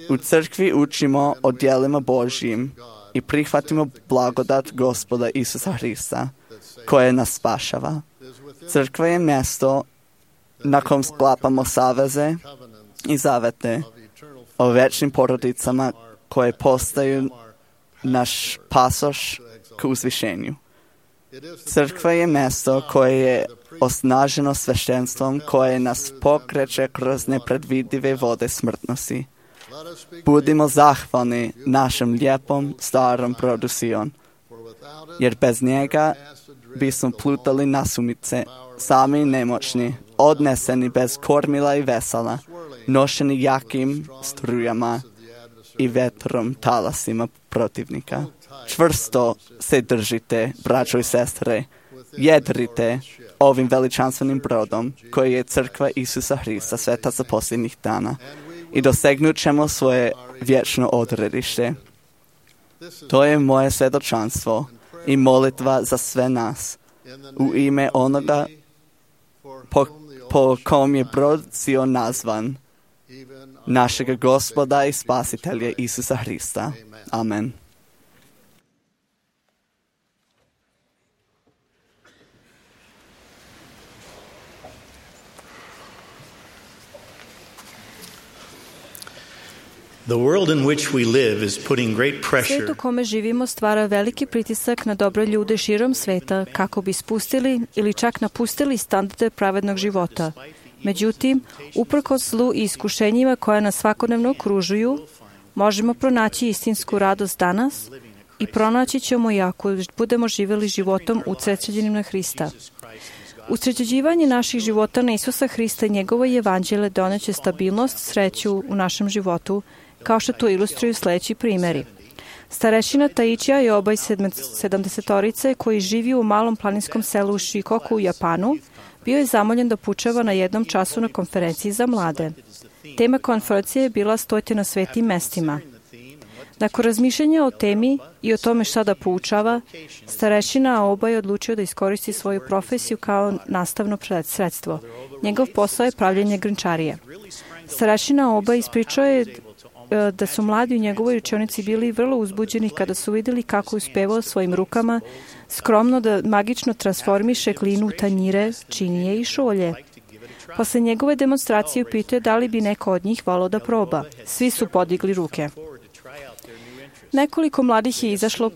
U crkvi učimo o djelima Božjim i prihvatimo blagodat Gospoda Isusa Hrista, koje nas spašava. Crkva je mjesto na kom sklapamo saveze i zavete o večnim porodicama koje postaju naš pasoš k uzvišenju. Crkva je mjesto koje je osnaženo sveštenstvom koje nas pokreće kroz nepredvidive vode smrtnosti. Budimo zahvalni našem lijepom starom brodu Sion, jer bez njega bismo plutali nasumice, sami nemoćni, odneseni bez kormila i vesela, nošeni jakim strujama i vetrom talasima protivnika. Čvrsto se držite, braćo i sestre, jedrite ovim veličanstvenim brodom koji je crkva Isusa Hrista, svetaca posljednjih dana, i dosegnut ćemo svoje vječno odredište. To je moje svjedočanstvo i molitva za sve nas u ime onoga po, po kom je brod Sion nazvan, našega Gospoda i Spasitelja Isusa Hrista. Amen. The world in which we live is putting great pressure. Svijet u kome živimo stvara veliki pritisak na dobre ljude širom sveta kako bi spustili ili čak napustili standarde pravednog života. Međutim, uprkos zlu i iskušenjima koja nas svakodnevno okružuju, možemo pronaći istinsku radost danas i pronaći ćemo je ako budemo živjeli životom usredsređenim na Hrista. Usređivanje naših života na Isusa Hrista i njegovo evanđelje doneće stabilnost, sreću u našem životu, kao što to ilustruju sljedeći primjeri. Starešina Taichija je obaj sedamdesetorice koji živi u malom planinskom selu u Shikoku u Japanu, bio je zamoljen da poučava na jednom času na konferenciji za mlade. Tema konferencije je bila Stojte na svetim mestima. Nakon razmišljanja o temi i o tome šta da poučava, starešina Aoba je odlučio da iskoristi svoju profesiju kao nastavno sredstvo. Njegov posao je pravljenje grnčarije. Starešina Aoba ispričao je da su mladi u njegovoj učionici bili vrlo uzbuđeni kada su vidjeli kako je uspevao svojim rukama skromno da magično transformiše glinu u tanjire, činije i šolje. Posle njegove demonstracije upitao je da li bi neko od njih volao da proba. Svi su podigli ruke. Nekoliko mladih je izašlo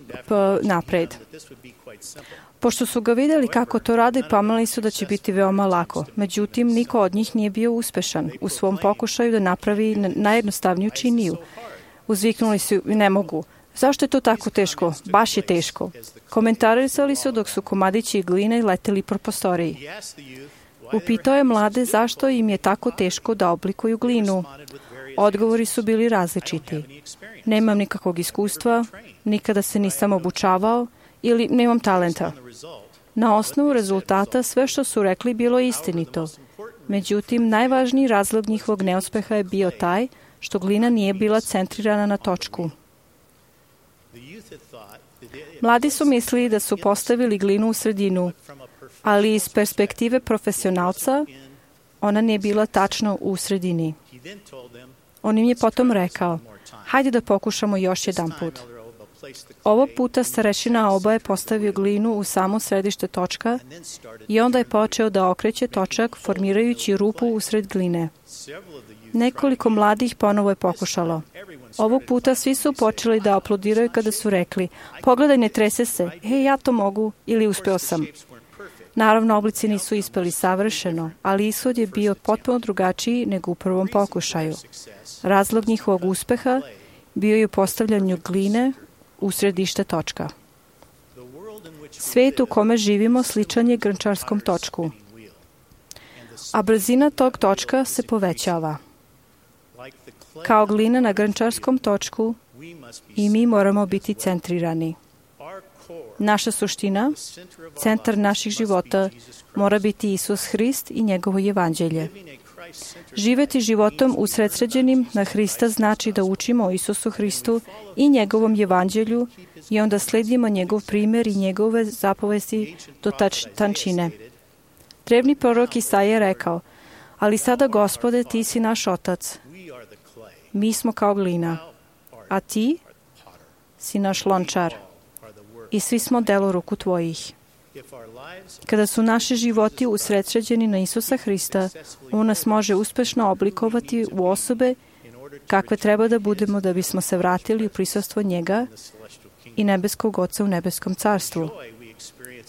napred. Pošto su ga vidjeli kako to rade, pomislili su da će biti veoma lako. Međutim, niko od njih nije bio uspešan u svom pokušaju da napravi najjednostavniju činiju. Uzviknuli su, ne mogu. Zašto je to tako teško? Baš je teško. Komentarisali su dok su komadići gline leteli po prostoriji. Upitao je mlade zašto im je tako teško da oblikuju glinu. Odgovori su bili različiti. Nemam nikakvog iskustva, nikada se nisam obučavao ili nemam talenta. Na osnovu rezultata sve što su rekli bilo je istinito. Međutim, najvažniji razlog njihovog neuspeha je bio taj što glina nije bila centrirana na točku. Mladi su mislili da su postavili glinu u sredinu, ali iz perspektive profesionalca ona nije bila tačno u sredini. On im je potom rekao, hajde da pokušamo još jedan put. Ovog puta starešina Aoba je postavio glinu u samo središte točka i onda je počeo da okreće točak formirajući rupu usred gline. Nekoliko mladih ponovo je pokušalo. Ovog puta svi su počeli da aplaudiraju kada su rekli, pogledaj, ne trese se, hej, ja to mogu ili uspeo sam. Naravno, oblici nisu ispeli savršeno, ali ishod je bio potpuno drugačiji nego u prvom pokušaju. Razlog njihovog uspeha bio je u postavljanju gline u središte točka. Svet u kome živimo sličan je grnčarskom točku, a brzina tog točka se povećava. Kao glina na grnčarskom točku i mi moramo biti centrirani. Naša suština, centar naših života, mora biti Isus Hrist i njegovo evanđelje. Živeti životom usredsređenim na Hrista znači da učimo o Isusu Hristu i njegovom evanđelju i onda sledimo njegov primjer i njegove zapovesti do tač, tančine. Drevni prorok Isaija je rekao, ali sada, Gospode, ti si naš otac. Mi smo kao glina, a ti si naš lončar i svi smo delo ruku tvojih. Kada su naši životi usredsređeni na Isusa Hrista, on nas može uspešno oblikovati u osobe kakve treba da budemo da bismo se vratili u prisustvo njega i nebeskog Oca u nebeskom carstvu.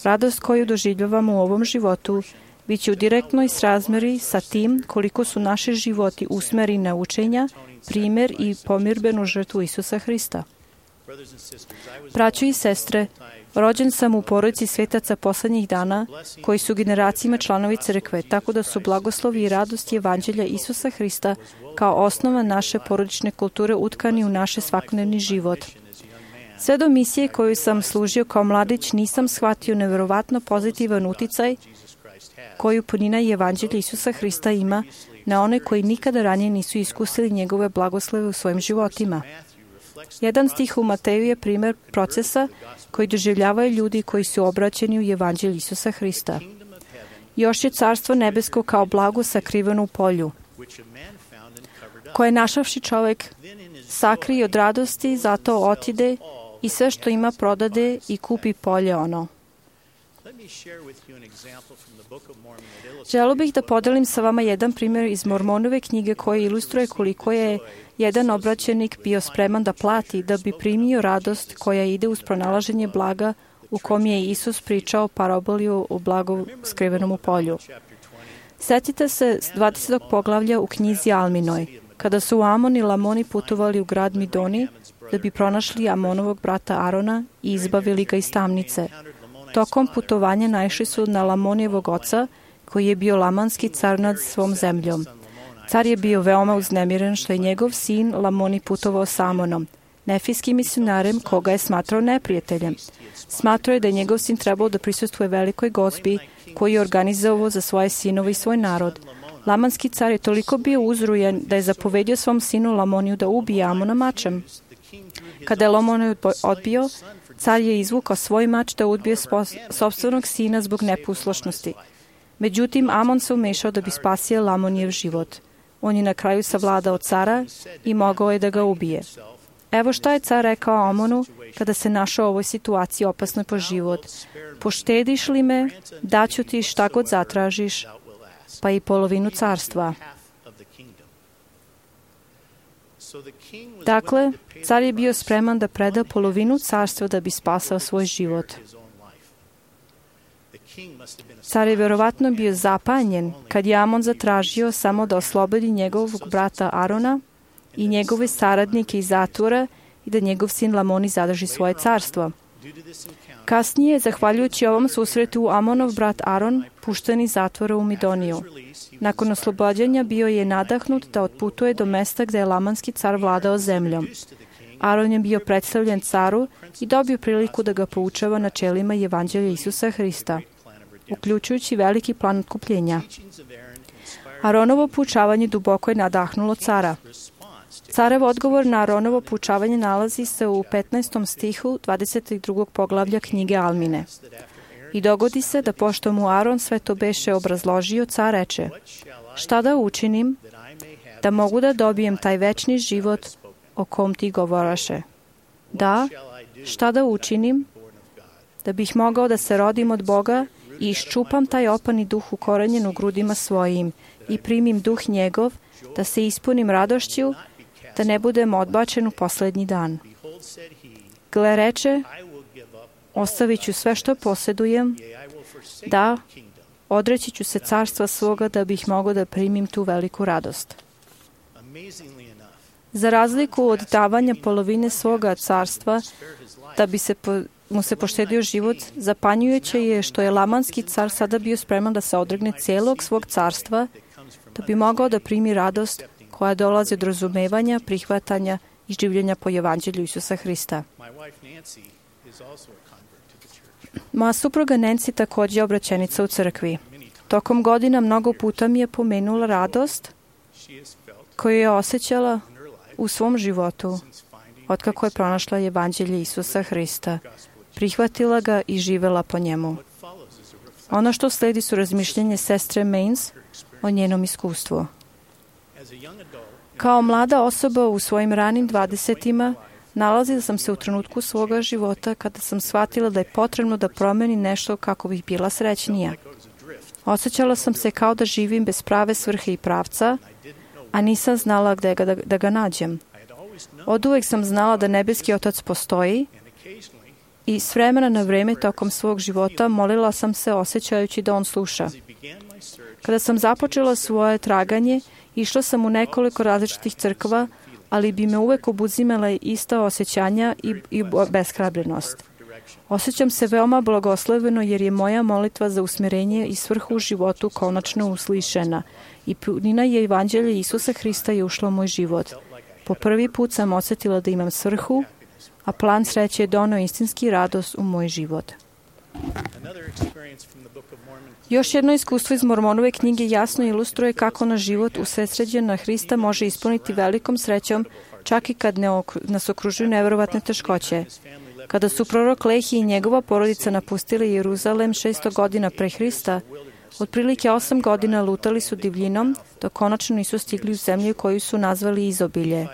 Radost koju doživljavamo u ovom životu bit će u direktnoj srazmeri sa tim koliko su naši životi usmeri na učenja, primjer i pomirbenu žrtvu Isusa Hrista. Braćo i sestre, rođen sam u porodici svetaca poslednjih dana, koji su generacijama članovi crkve, tako da su blagoslovi i radost evanđelja Isusa Hrista kao osnova naše porodične kulture utkani u naš svakodnevni život. Sve do misije koju sam služio kao mladić nisam shvatio neverovatno pozitivan uticaj koju punina i evanđelja Isusa Hrista ima na one koji nikada ranije nisu iskusili njegove blagoslove u svojim životima. Jedan stih u Mateju je primjer procesa koji doživljavaju ljudi koji su obraćeni u evanđelju Isusa Hrista. Još je carstvo nebesko kao blago sakriveno u polju, koje našavši čovek sakri od radosti, zato otide i sve što ima prodade i kupi polje ono. Želeo bih da podelim sa vama jedan primjer iz Mormonove knjige koji ilustruje koliko je jedan obraćenik bio spreman da plati da bi primio radost koja ide uz pronalaženje blaga u kom je Isus pričao paraboliju o blagu skrivenom u polju. Sjetite se dvadesetog poglavlja u knjizi Alminoj, kada su Amon i Lamoni putovali u grad Midoni da bi pronašli Amonovog brata Arona i izbavili ga iz tamnice. Tokom putovanja naišli su na Lamonijevog oca, koji je bio lamanski car nad svom zemljom. Car je bio veoma uznemiren što je njegov sin Lamoni putovao sa Amonom. nefijskim misionarem koga je smatrao neprijateljem. Smatrao je da je njegov sin trebao da prisustvuje velikoj gozbi koju je organizovao za svoje sinove i svoj narod. Lamanski car je toliko bio uzrujen da je zapovedio svom sinu Lamoniju da ubije Amona mačem. Kada je Lamoniju odbio, car je izvukao svoj mač da ubije sopstvenog sina zbog neposlušnosti. Međutim, Amon se umešao da bi spasio Lamonijev život. On je na kraju savladao cara i mogao je da ga ubije. Evo šta je car rekao Amonu kada se našao u ovoj situaciji opasnoj po život. Poštediš li me, daću ti šta god zatražiš, pa i polovinu carstva. Dakle, car je bio spreman da preda polovinu carstva da bi spasao svoj život. Car je verovatno bio zapanjen kad je Amon zatražio samo da oslobodi njegovog brata Arona i njegove saradnike iz zatvora i da njegov sin Lamoni zadrži svoje carstvo. Kasnije, zahvaljujući ovom susretu, Amonov brat Aron pušten iz zatvora u Midoniju. Nakon oslobođenja bio je nadahnut da otputuje do mesta gde je lamanski car vladao zemljom. Aron je bio predstavljen caru i dobio priliku da ga poučava načelima Evanđelja Isusa Hrista, uključujući veliki plan otkupljenja. Aronovo poučavanje duboko je nadahnulo cara. Carev odgovor na Aronovo poučavanje nalazi se u petnaestom stihu dvadeset drugog poglavlja knjige Almine. I dogodi se da pošto mu Aron sve to beše obrazložio, car reče: šta da učinim da mogu da dobijem taj večni život o kom ti govoraše? Da, šta da učinim da bih mogao da se rodim od Boga i iščupam taj opani duh ukorenjen u grudima svojim i primim duh njegov, da se ispunim radošću, da ne budem odbačen u poslednji dan. Gle, reče, ostavit ću sve što posjedujem, da, odreći ću se carstva svoga da bih mogao da primim tu veliku radost. Za razliku od davanja polovine svoga carstva, da bi se po, mu se poštedio život, zapanjujuće je što je lamanski car sada bio spreman da se odregne cijelog svog carstva, da bi mogao da primi radost koja dolazi od razumevanja, prihvatanja i življenja po Evanđelju Isusa Hrista. Moja supruga Nancy također je obraćenica u crkvi. Tokom godina mnogo puta mi je pomenula radost koju je osjećala u svom životu otkako je pronašla Evanđelje Isusa Hrista, prihvatila ga i živela po njemu. Ono što sledi su razmišljenje sestre Mains o njenom iskustvu. Kao mlada osoba u svojim ranim dvadesetima, nalazila sam se u trenutku svoga života kada sam shvatila da je potrebno da promeni nešto kako bih bila srećnija. Osjećala sam se kao da živim bez prave svrhe i pravca, a nisam znala gde ga, da, da ga nađem. Oduvek sam znala da nebeski Otac postoji i s vremena na vreme tokom svog života molila sam se osjećajući da on sluša. Kada sam započela svoje traganje, išla sam u nekoliko različitih crkva, ali bi me uvek obuzimala ista osjećanja i, i beshrabrenost. Osjećam se veoma blagosloveno jer je moja molitva za usmjerenje i svrhu u životu konačno uslišena i punina je Evanđelja Isusa Hrista je ušla u moj život. Po prvi put sam osjetila da imam svrhu, a plan sreće je doneo istinski radost u moj život. Još jedno iskustvo iz Mormonove knjige jasno ilustruje kako na život usredsređen na Hrista može ispuniti velikom srećom, čak i kad ne ok- nas okružuju neverovatne teškoće. Kada su prorok Lehi i njegova porodica napustili Jeruzalem šesto godina pre Hrista, otprilike osam godina lutali su divljinom, dok konačno nisu stigli u zemlju koju su nazvali Izobilje,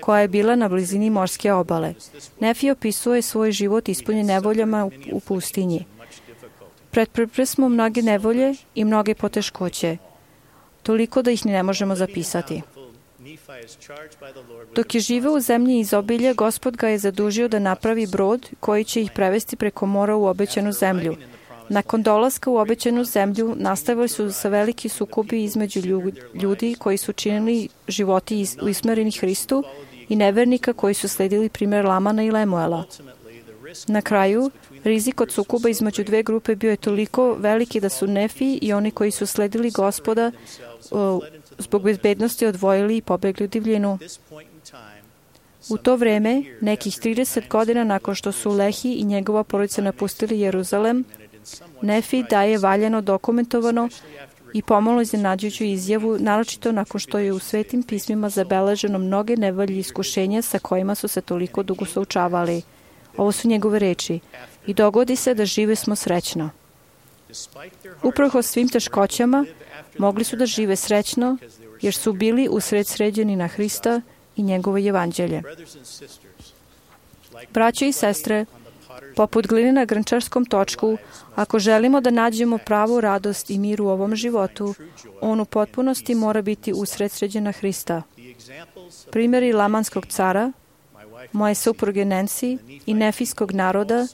koja je bila na blizini morske obale. Nefi opisuje svoj život ispunjen nevoljama u, u pustinji. Pretrpeli smo mnoge nevolje i mnoge poteškoće, toliko da ih ne možemo zapisati. Dok je živeo u zemlji Izobilje, Gospod ga je zadužio da napravi brod koji će ih prevesti preko mora u obećanu zemlju. Nakon dolaska u obećanu zemlju nastavili su se veliki sukobi između ljudi koji su činili životi usmereni Hristu i nevernika koji su sledili primjer Lamana i Lemuela. Na kraju, rizik od sukoba između dve grupe bio je toliko veliki da su Nefi i oni koji su sledili Gospoda o, zbog bezbednosti odvojili i pobegli u divljinu. U to vreme, nekih trideset godina nakon što su Lehi i njegova porodica napustili Jeruzalem, Nefi daje valjano dokumentovano i pomalo iznenađujuću izjavu, naročito nakon što je u svetim pismima zabeleženo mnoge nevolje i iskušenja sa kojima su se toliko dugo suočavali. Ovo su njegove reči. I dogodi se da žive smo srećno. Uprkos svim teškoćama, mogli su da žive srećno, jer su bili usred sređeni na Hrista i njegovo evanđelje. Braće i sestre, poput gline na grnčarskom točku, ako želimo da nađemo pravu radost i mir u ovom životu, on u potpunosti mora biti usred sređena Hrista. Primjeri lamanskog cara, moje supruge Nancy i nefijskog naroda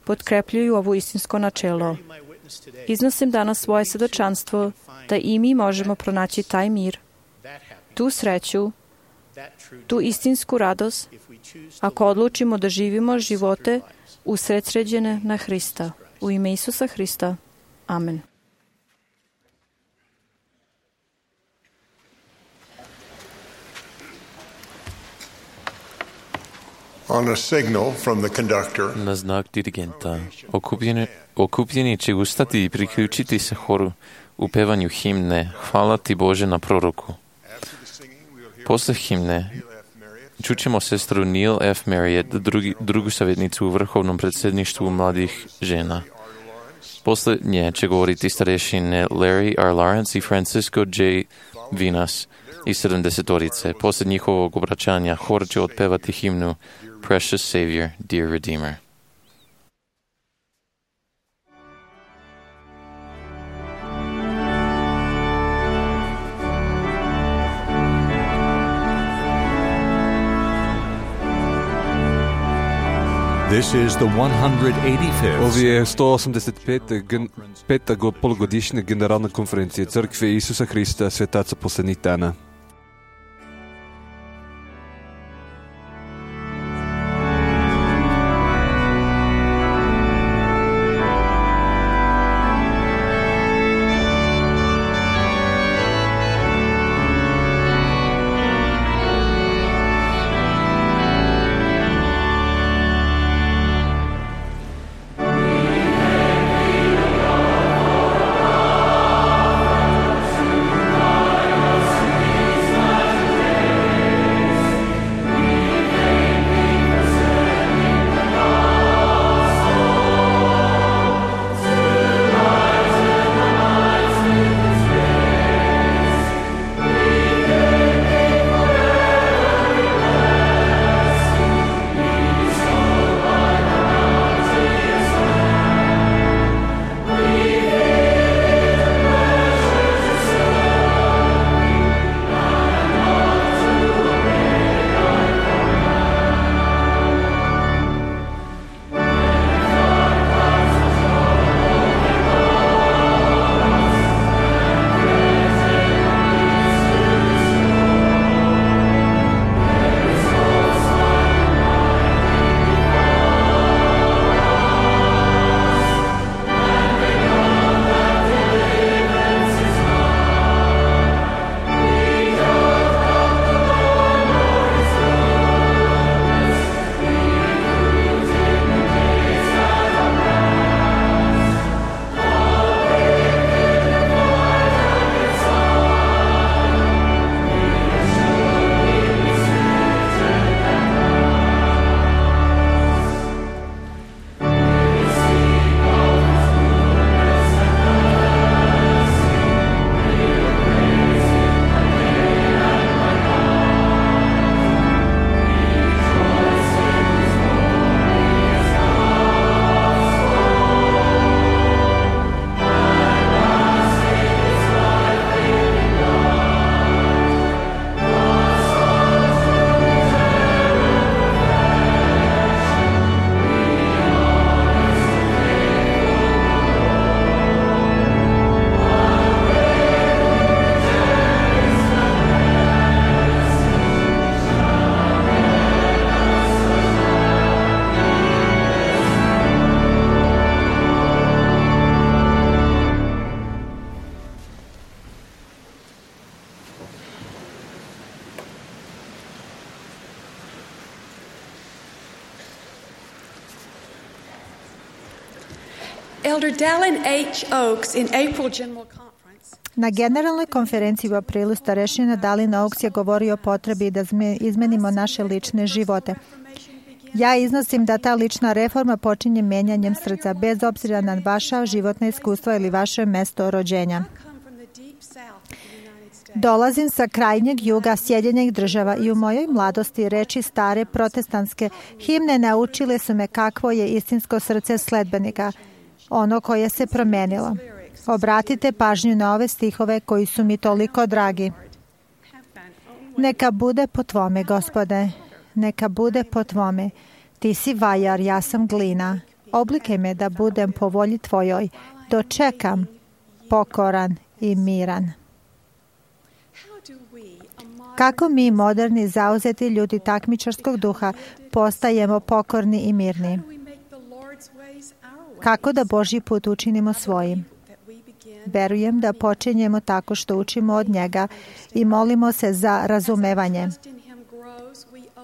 potkrepljuju ovo istinsko načelo. Iznosim danas svoje svedočanstvo da i mi možemo pronaći taj mir, tu sreću, tu istinsku radost, ako odlučimo da živimo živote usredsređene na Hrista. U ime Isusa Hrista. Amen. On a signal from the conductor, Na znak dirigenta, okupljeni, okupljeni će ustati i priključiti se horu u pevanju himne Hvala ti Bože na proroku. Posle himne čućemo sestru Neil F. Marriott, drugi, drugu savjetnicu u vrhovnom predsjedništvu mladih žena. Posle nje će govoriti starešine Larry R. Lawrence i Francisco J. Vinas i sedamdesetorice. Posle njihovog obraćanja hor će otpevati himnu Precious Savior, Dear Redeemer. This is the one hundred eighty-fifth. Ovo je sto osamdeset peta polugodišnja generalna konferencija Crkve Isusa Hrista svetaca poslednjih dana. Amen. Na generalnoj konferenciji u aprilu starešina Dallin Oaks je govorio o potrebi da izmenimo naše lične živote. Ja iznosim da ta lična reforma počinje menjanjem srca, bez obzira na vaša životna iskustva ili vaše mesto rođenja. Dolazim sa krajnjeg juga Sjedinjenih država i u mojoj mladosti reči stare protestantske himne naučile su me kakvo je istinsko srce sledbenika, ono koje se promenilo. Obratite pažnju na ove stihove koji su mi toliko dragi. Neka bude po tvome, Gospode, neka bude po tvome. Ti si vajar, ja sam glina. Oblikaj me da budem po volji tvojoj. Dočekam, pokoran i miran. Kako mi, moderni, zauzeti ljudi takmičarskog duha, postajemo pokorni i mirni? Kako da Božji put učinimo svojim? Verujem da počinjemo tako što učimo od njega i molimo se za razumevanje.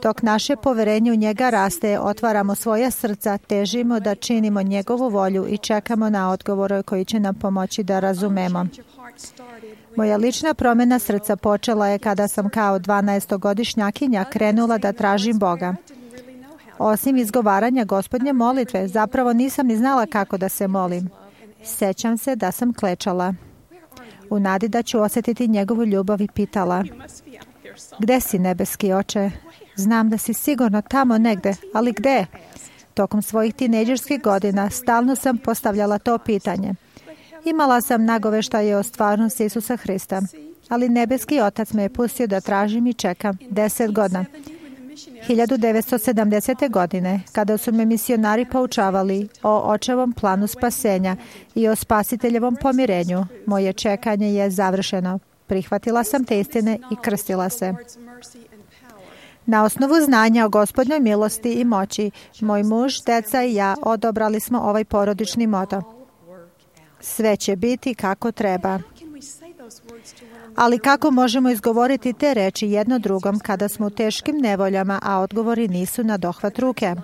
Dok naše poverenje u njega raste, otvaramo svoja srca, težimo da činimo njegovu volju i čekamo na odgovore koji će nam pomoći da razumemo. Moja lična promjena srca počela je kada sam kao dvanaestogodišnjakinja krenula da tražim Boga. Osim izgovaranja Gospodnje molitve, zapravo nisam ni znala kako da se molim. Sećam se da sam klečala. U nadi da ću osjetiti njegovu ljubav i pitala: gde si, nebeski oče? Znam da si sigurno tamo negde, ali gde? Tokom svojih tinejdžerskih godina stalno sam postavljala to pitanje. Imala sam nagoveštaje o stvarnosti Isusa Hrista, ali nebeski Otac me je pustio da tražim i čekam deset godina. hiljadu devetsto sedamdesete. godine, kada su me misionari poučavali o očevom planu spasenja i o spasiteljevom pomirenju, moje čekanje je završeno. Prihvatila sam te istine i krstila se. Na osnovu znanja o Gospodnjoj milosti i moći, moj muž, deca i ja odobrali smo ovaj porodični moto. Sve će biti kako treba. Ali kako možemo izgovoriti te reči jedno drugom kada smo u teškim nevoljama, a odgovori nisu na dohvat ruke?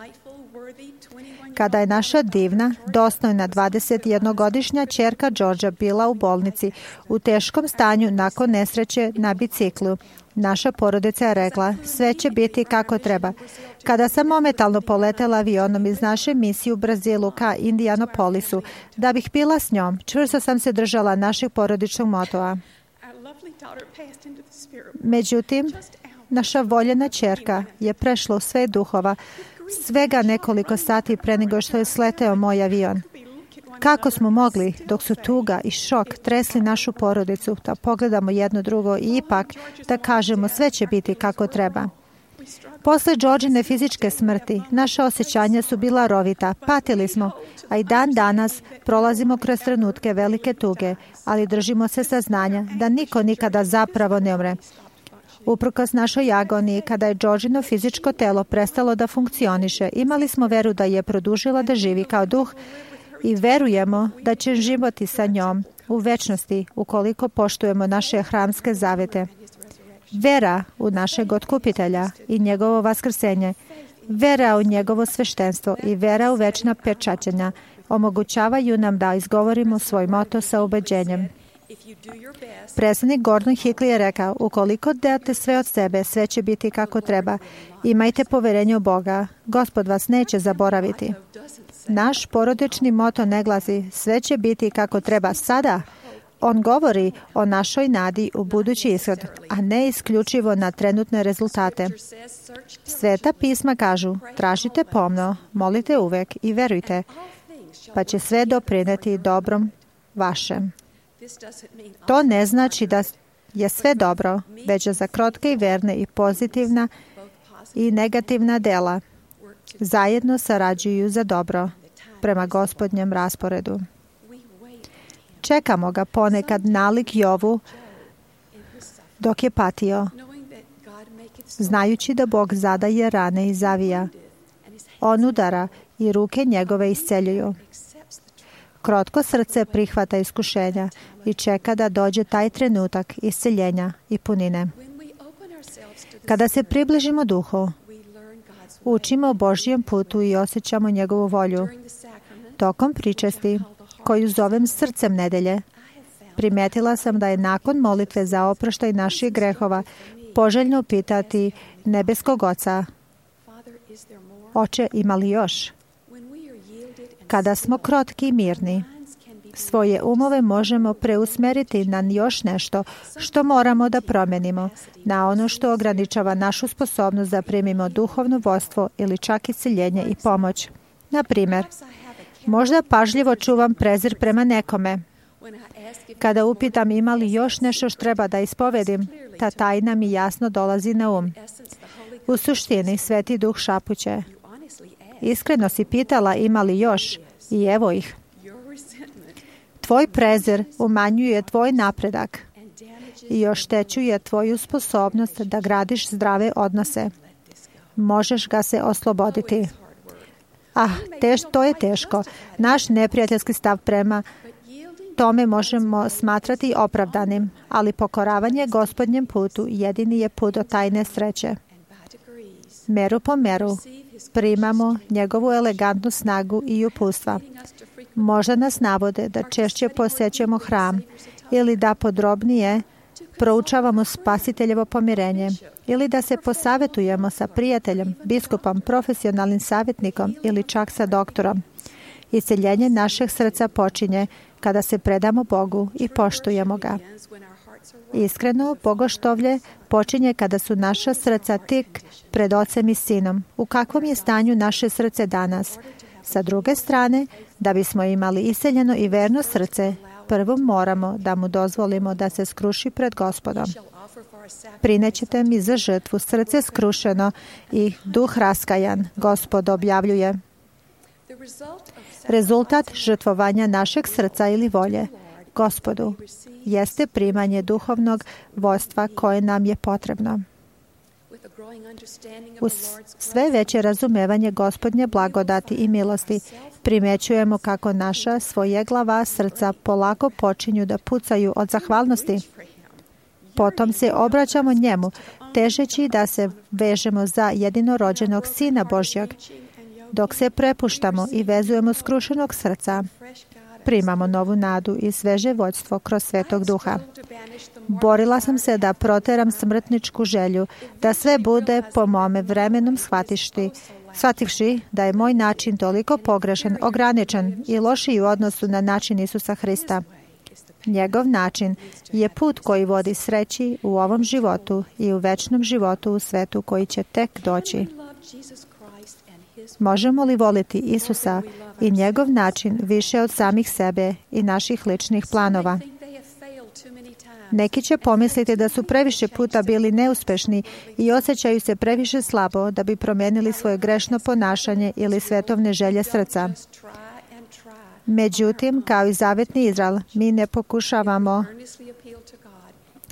Kada je naša divna, dostojna dvadesetjednogodišnja ćerka Đorđa bila u bolnici u teškom stanju nakon nesreće na biciklu, naša porodica je rekla: sve će biti kako treba. Kada sam momentalno poletela avionom iz naše misije u Brazilu ka Indianapolisu, da bih bila s njom, čvrsto sam se držala našeg porodičnog motoa. Međutim, naša voljena ćerka je prešla u sve duhova svega nekoliko sati pre nego što je sleteo moj avion. Kako smo mogli, dok su tuga i šok tresli našu porodicu, da pogledamo jedno drugo i ipak da kažemo sve će biti kako treba? Posle Đorđine fizičke smrti, naša osjećanja su bila rovita, patili smo, a i dan danas prolazimo kroz trenutke velike tuge, ali držimo se saznanja da niko nikada zapravo ne umre. Uprkos našoj agoniji, kada je Đorđino fizičko telo prestalo da funkcioniše, imali smo veru da je produžila da živi kao duh i verujemo da će živjeti sa njom u večnosti ukoliko poštujemo naše hramske zavete. Vera u našeg otkupitelja i njegovo vaskrsenje, vera u njegovo sveštenstvo i vera u večna pečaćenja omogućavaju nam da izgovorimo svoj moto sa ubeđenjem. Predsednik Gordon Hinckley je rekao: ukoliko date sve od sebe, sve će biti kako treba. Imajte poverenje u Boga. Gospod vas neće zaboraviti. Naš porodični moto ne glasi: sve će biti kako treba sada. On govori o našoj nadi u budući ishod, a ne isključivo na trenutne rezultate. Sveta pisma kažu: tražite pomno, molite uvek i verujte, pa će sve doprineti dobrom vašem. To ne znači da je sve dobro, već za krotke i verne i pozitivna i negativna dela zajedno sarađuju za dobro prema Gospodnjem rasporedu. Čekamo ga ponekad nalik Jovu dok je patio, znajući da Bog zadaje rane i zavija. On udara i ruke njegove isceljuju. Krotko srce prihvata iskušenja i čeka da dođe taj trenutak isceljenja i punine. Kada se približimo duhu, učimo o Božjem putu i osjećamo njegovu volju. Tokom pričesti koju zovem srcem nedelje. Primetila sam da je nakon molitve za oproštaj naših grehova poželjno pitati nebeskog Oca: Oče, ima li još? Kada smo krotki i mirni, svoje umove možemo preusmeriti na još nešto što moramo da promenimo, na ono što ograničava našu sposobnost da primimo duhovno vodstvo ili čak isceljenje i pomoć. Na primjer, možda pažljivo čuvam prezir prema nekome. Kada upitam ima li još nešto što treba da ispovedim, ta tajna mi jasno dolazi na um. U suštini, Sveti Duh šapuće: iskreno si pitala ima li još, i evo ih. Tvoj prezir umanjuje tvoj napredak i oštećuje tvoju sposobnost da gradiš zdrave odnose. Možeš ga se osloboditi. Ah, teš, to je teško. Naš neprijateljski stav prema tome možemo smatrati opravdanim, ali pokoravanje Gospodnjem putu jedini je put do tajne sreće. Meru po meru primamo njegovu elegantnu snagu i uputstva. Možda nas navode da češće posećujemo hram ili da podrobnije proučavamo Spasiteljevo pomirenje ili da se posavetujemo sa prijateljem, biskupom, profesionalnim savjetnikom ili čak sa doktorom. Isceljenje našeg srca počinje kada se predamo Bogu i poštujemo ga. Iskreno, bogoštovlje počinje kada su naša srca tik pred Ocem i Sinom. U kakvom je stanju naše srce danas? Sa druge strane, da bismo imali isceljeno i verno srce, prvo moramo da mu dozvolimo da se skruši pred Gospodom. Prinećete mi za žrtvu srce skrušeno i duh raskajan, Gospod objavljuje. Rezultat žrtvovanja našeg srca ili volje Gospodu jeste primanje duhovnog vodstva koje nam je potrebno. Uz sve veće razumevanje Gospodnje blagodati i milosti primećujemo kako naša svojeglava srca polako počinju da pucaju od zahvalnosti. Potom se obraćamo njemu, težeći da se vežemo za jedinorođenog Sina Božjeg. Dok se prepuštamo i vezujemo skrušenog srca, primamo novu nadu i sveže vođstvo kroz Svetog Duha. Borila sam se da proteram smrtničku želju, da sve bude po mome vremenom shvatišti, shvativši da je moj način toliko pogrešan, ograničen i lošiji u odnosu na način Isusa Hrista. Njegov način je put koji vodi sreći u ovom životu i u večnom životu u svetu koji će tek doći. Možemo li voliti Isusa i njegov način više od samih sebe i naših ličnih planova? Neki će pomisliti da su previše puta bili neuspešni i osjećaju se previše slabo da bi promijenili svoje grešno ponašanje ili svetovne želje srca. Međutim, kao i zavetni Izrael, mi ne pokušavamo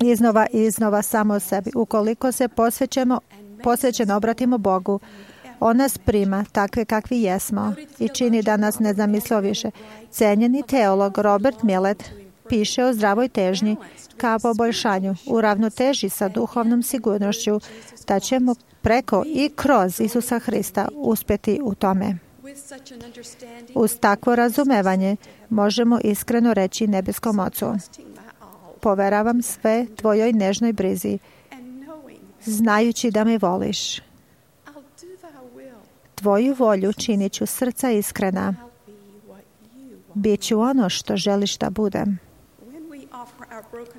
iznova i iznova samo sebi. Ukoliko se posvećemo, posvećeno obratimo Bogu, On nas prima takve kakvi jesmo i čini da nas ne zamislio više. Cenjeni teolog Robert Millet piše o zdravoj težnji kao poboljšanju u ravnoteži sa duhovnom sigurnošću da ćemo preko i kroz Isusa Hrista uspjeti u tome. Uz takvo razumevanje možemo iskreno reći nebeskom Ocu: poveravam sve tvojoj nežnoj brizi, znajući da me voliš. Tvoju volju činit ću srca iskrena. Biću ono što želiš da budem.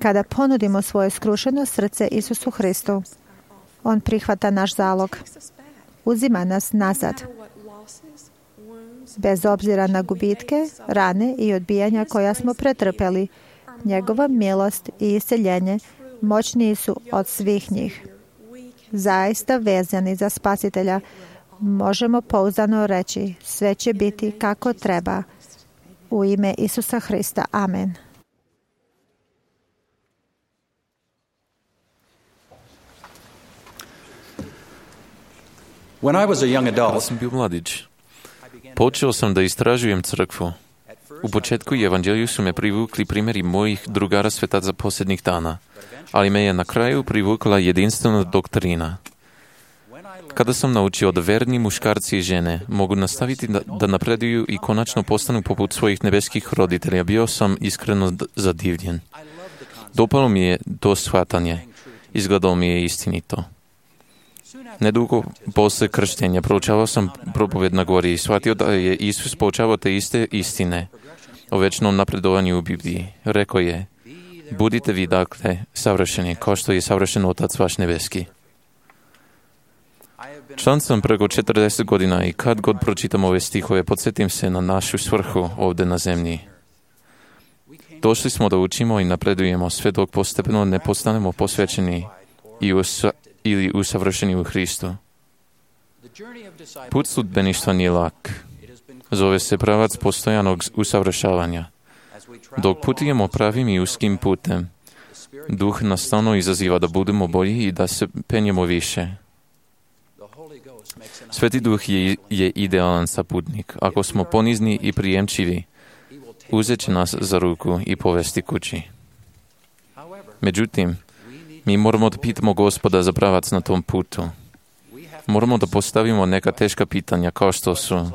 Kada ponudimo svoje skrušeno srce Isusu Hristu, On prihvata naš zalog. Uzima nas nazad. Bez obzira na gubitke, rane i odbijanja koja smo pretrpeli, njegova milost i isceljenje moćniji su od svih njih. Zaista vezani za Spasitelja, možemo pouzdano reći: sve će biti kako treba. U ime Isusa Hrista. Amen. When I was a young adult, kada sam bio mladić, počeo sam da istražujem crkvu. U početku i evanđelju su me privukli primjeri mojih drugara svetaca posljednjih dana, ali me je na kraju privukla jedinstvena doktrina. Kada sam naučio da verni muškarci i žene mogu nastaviti da, da napreduju i konačno postanu poput svojih nebeskih roditelja, bio sam iskreno zadivljen. Dopalo mi je to shvatanje. Izgledalo mi je istinito. Nedugo posle krštenja proučavao sam propoved na gori i shvatio da je Isus poučavao te iste istine o večnom napredovanju u Bibliji. Rekao je: budite vi dakle savršeni, kao što je savršen Otac vaš nebeski. Član sam preko četrdeset godina i kad god pročitam ove stihove, podsjetim se na našu svrhu ovdje na zemlji. Došli smo da učimo i napredujemo sve dok postepeno ne postanemo posvećeni i usa, ili usavršeni u Hristu. Put sludbeništva nije lak. Zove se pravac postojanog usavršavanja. Dok putujemo pravim i uskim putem, Duh nas stalno izaziva da budemo bolji i da se penjemo više. Sveti Duh je, je idealan saputnik. Ako smo ponizni i prijemčivi, uzet će nas za ruku i povesti kući. Međutim, mi moramo da pitamo Gospoda za pravac na tom putu. Moramo da postavimo neka teška pitanja kao što su: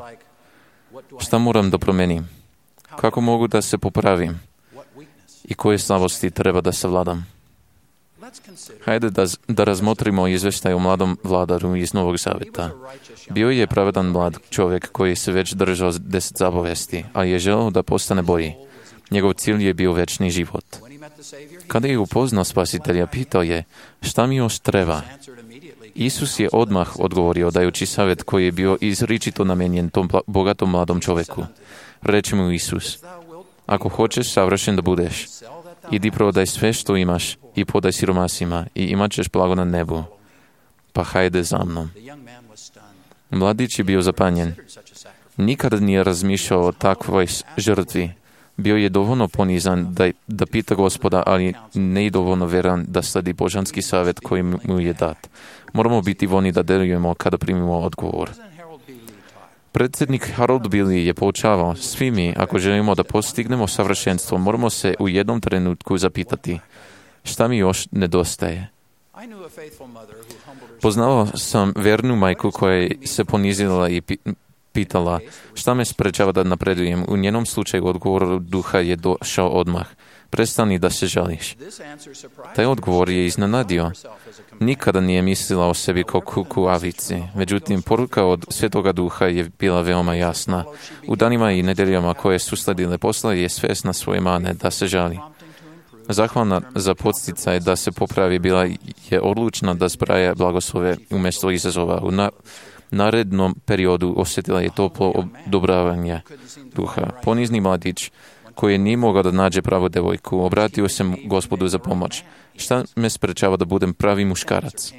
šta moram da promenim? Kako mogu da se popravim? I koje slabosti treba da savladam? Hajde da, da razmotrimo izveštaj o mladom vladaru iz Novog Zaveta. Bio je pravedan mlad čovjek koji se već držao deset zapovesti, a je želeo da postane bolji. Njegov cilj je bio večni život. Kada je upoznao Spasitelja, pitao je: šta mi još treba? Isus je odmah odgovorio dajući savjet koji je bio izričito namenjen tom bogatom mladom čovjeku. Reče mu Isus: ako hoćeš savršen da budeš, idi prodaj sve što imaš i podaj siromasima i imat ćeš blago na nebu. Pa hajde za mnom. Mladić je bio zapanjen. Nikada nije razmišljao o takvoj žrtvi. Bio je dovoljno ponizan da, da pita Gospoda, ali ne i dovoljno veran da sledi božanski savjet koji mu je dat. Moramo biti voljni da delujemo kada primimo odgovor. Predsjednik Harold Billy je poučavao: svi mi, ako želimo da postignemo savršenstvo, moramo se u jednom trenutku zapitati: šta mi još nedostaje? Poznavao sam vernu majku koja se ponizila i pitala: šta me sprečava da napredujem? U njenom slučaju odgovor Duha je došao odmah: prestani da se žališ. Taj odgovor je iznenadio. Nikada nije mislila o sebi kao kuku avici. Međutim, poruka od Svetoga Duha je bila veoma jasna. U danima i nedeljama koje su sledile posla je svesna svoje mane da se žali. Zahvalna za podsticaj da se popravi bila je odlučna da zbraja blagoslove umjesto izazova. U na, narednom periodu osjetila je toplo odobravanje Duha. Ponizni mladić koji nije mogao da nađe pravu devojku, obratio se Gospodu za pomoć. Šta me sprečava da budem pravi muškarac?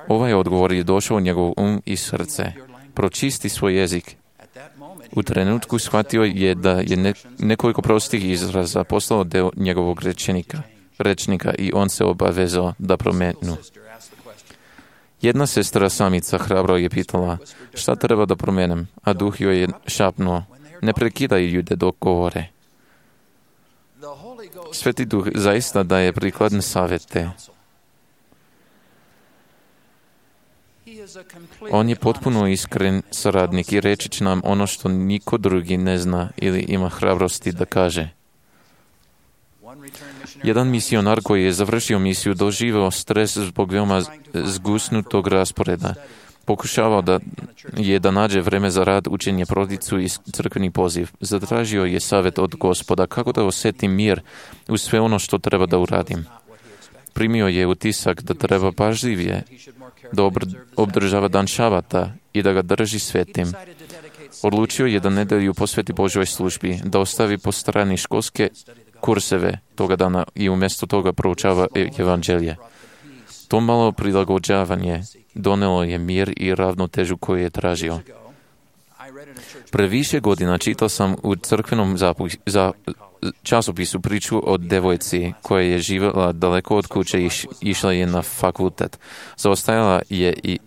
Ovaj odgovor je došao u njegov um i srce. Pročisti svoj jezik. U trenutku shvatio je da je ne, nekoliko prostih izraza postalo deo njegovog rečenika, rečnika i on se obavezao da promenu. Jedna sestra samica hrabro je pitala: šta treba da promenem? A Duh joj je šapnuo: ne prekidaj ljude dok govore. Sveti Duh zaista daje prikladne savjete. On je potpuno iskren saradnik i reći će nam ono što niko drugi ne zna ili ima hrabrosti da kaže. Jedan misionar koji je završio misiju doživio stres zbog veoma zgusnutog rasporeda. Pokušavao da je da nađe vreme za rad, učenje, porodicu i crkveni poziv. Zatražio je savjet od Gospoda kako da osjetim mir u sve ono što treba da uradim. Primio je utisak da treba pažljivije da obdržava dan šabata i da ga drži svetim. Odlučio je da nedelju posveti Božoj službi, da ostavi po strani školske kurseve toga dana i umjesto toga proučava evanđelje. To malo prilagođavanje donelo je mir i ravnotežu koju je tražio. Pre više godina čitao sam u crkvenom zapu- za časopisu priču o devojci koja je živjela daleko od kuće i išla je na fakultet. Zaostajala je i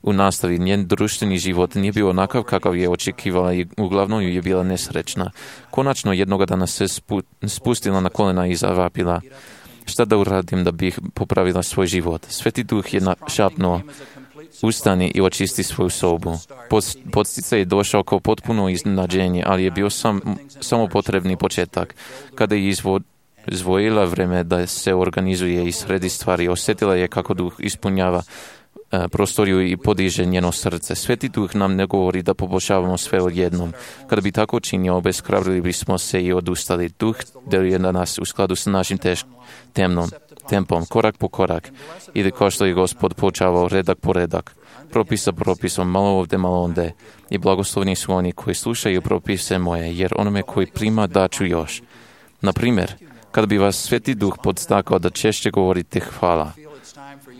u nastavi. Njen društveni život nije bio onakav kakav je očekivala i uglavnom je bila nesrećna. Konačno jednoga dana se spu- spustila na kolena i zavapila: šta da uradim da bih popravila svoj život? Sveti Duh je šapnuo: ustani i očisti svoju sobu. Podsticaj je došao kao potpuno iznenađenje, ali je bio sam, samo potrebni početak. Kada je izvo, izvojila vreme da se organizuje i sredi stvari, osjetila je kako duh ispunjava e, prostoriju i podiže njeno srce. Sveti duh nam ne govori da poboljšavamo sve odjednom. Kada bi tako činio, obeshrabrili bismo se i odustali. Duh deluje na nas u skladu sa našim teš, temnom tempom, korak po korak, ili kao što je Gospod počavao redak po redak, propisa propisom, malo ovde, malo onde. I blagoslovni su oni koji slušaju propise moje, jer onome koji prima daću još. Na primjer, kada bi vas Sveti Duh podstakao da češće govorite hvala,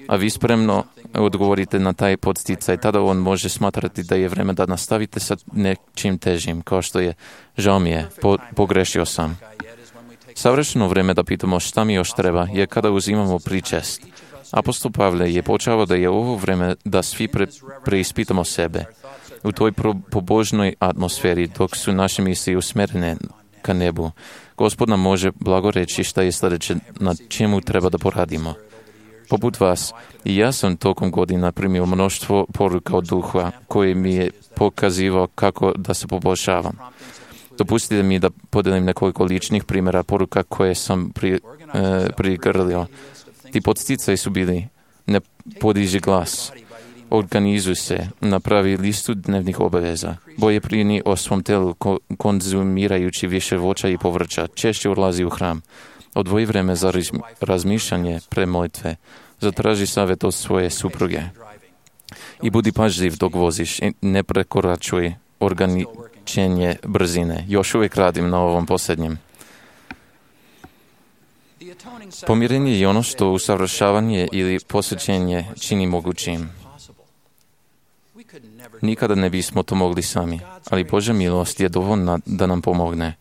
a vi spremno odgovorite na taj podsticaj, tada on može smatrati da je vreme da nastavite sa nečim težim, kao što je, žao mi je, po, pogrešio sam. Savršeno vreme da pitamo šta mi još treba je kada uzimamo pričest. Apostol Pavle je počeo da je ovo vreme da svi pre, preispitamo sebe. U toj pro, pobožnoj atmosferi, dok su naše misli usmerene ka nebu, Gospod nam može blago reći šta je sljedeće na čemu treba da poradimo. Poput vas, i ja sam tokom godina primio mnoštvo poruka od duha koji mi je pokazivao kako da se poboljšavam. Dopustite mi da podelim nekoliko ličnih primjera poruka koje sam pri, e, prigrlio. Ti podsticaji su bili: ne podiži glas, organizuj se, napravi listu dnevnih obaveza, boje brini o svom telu ko, konzumirajući više voća i povrća, češće odlazi u hram, odvoji vreme za razmišljanje pre molitve, zatraži savjet od svoje supruge i budi pažljiv dok voziš i ne prekoračuj ograničenje brzine. Još uvijek radim na ovom posljednjem. Pomirenje je ono što usavršavanje ili posvećenje čini mogućim. Nikada ne bismo to mogli sami, ali Božja milost je dovoljna da nam pomogne.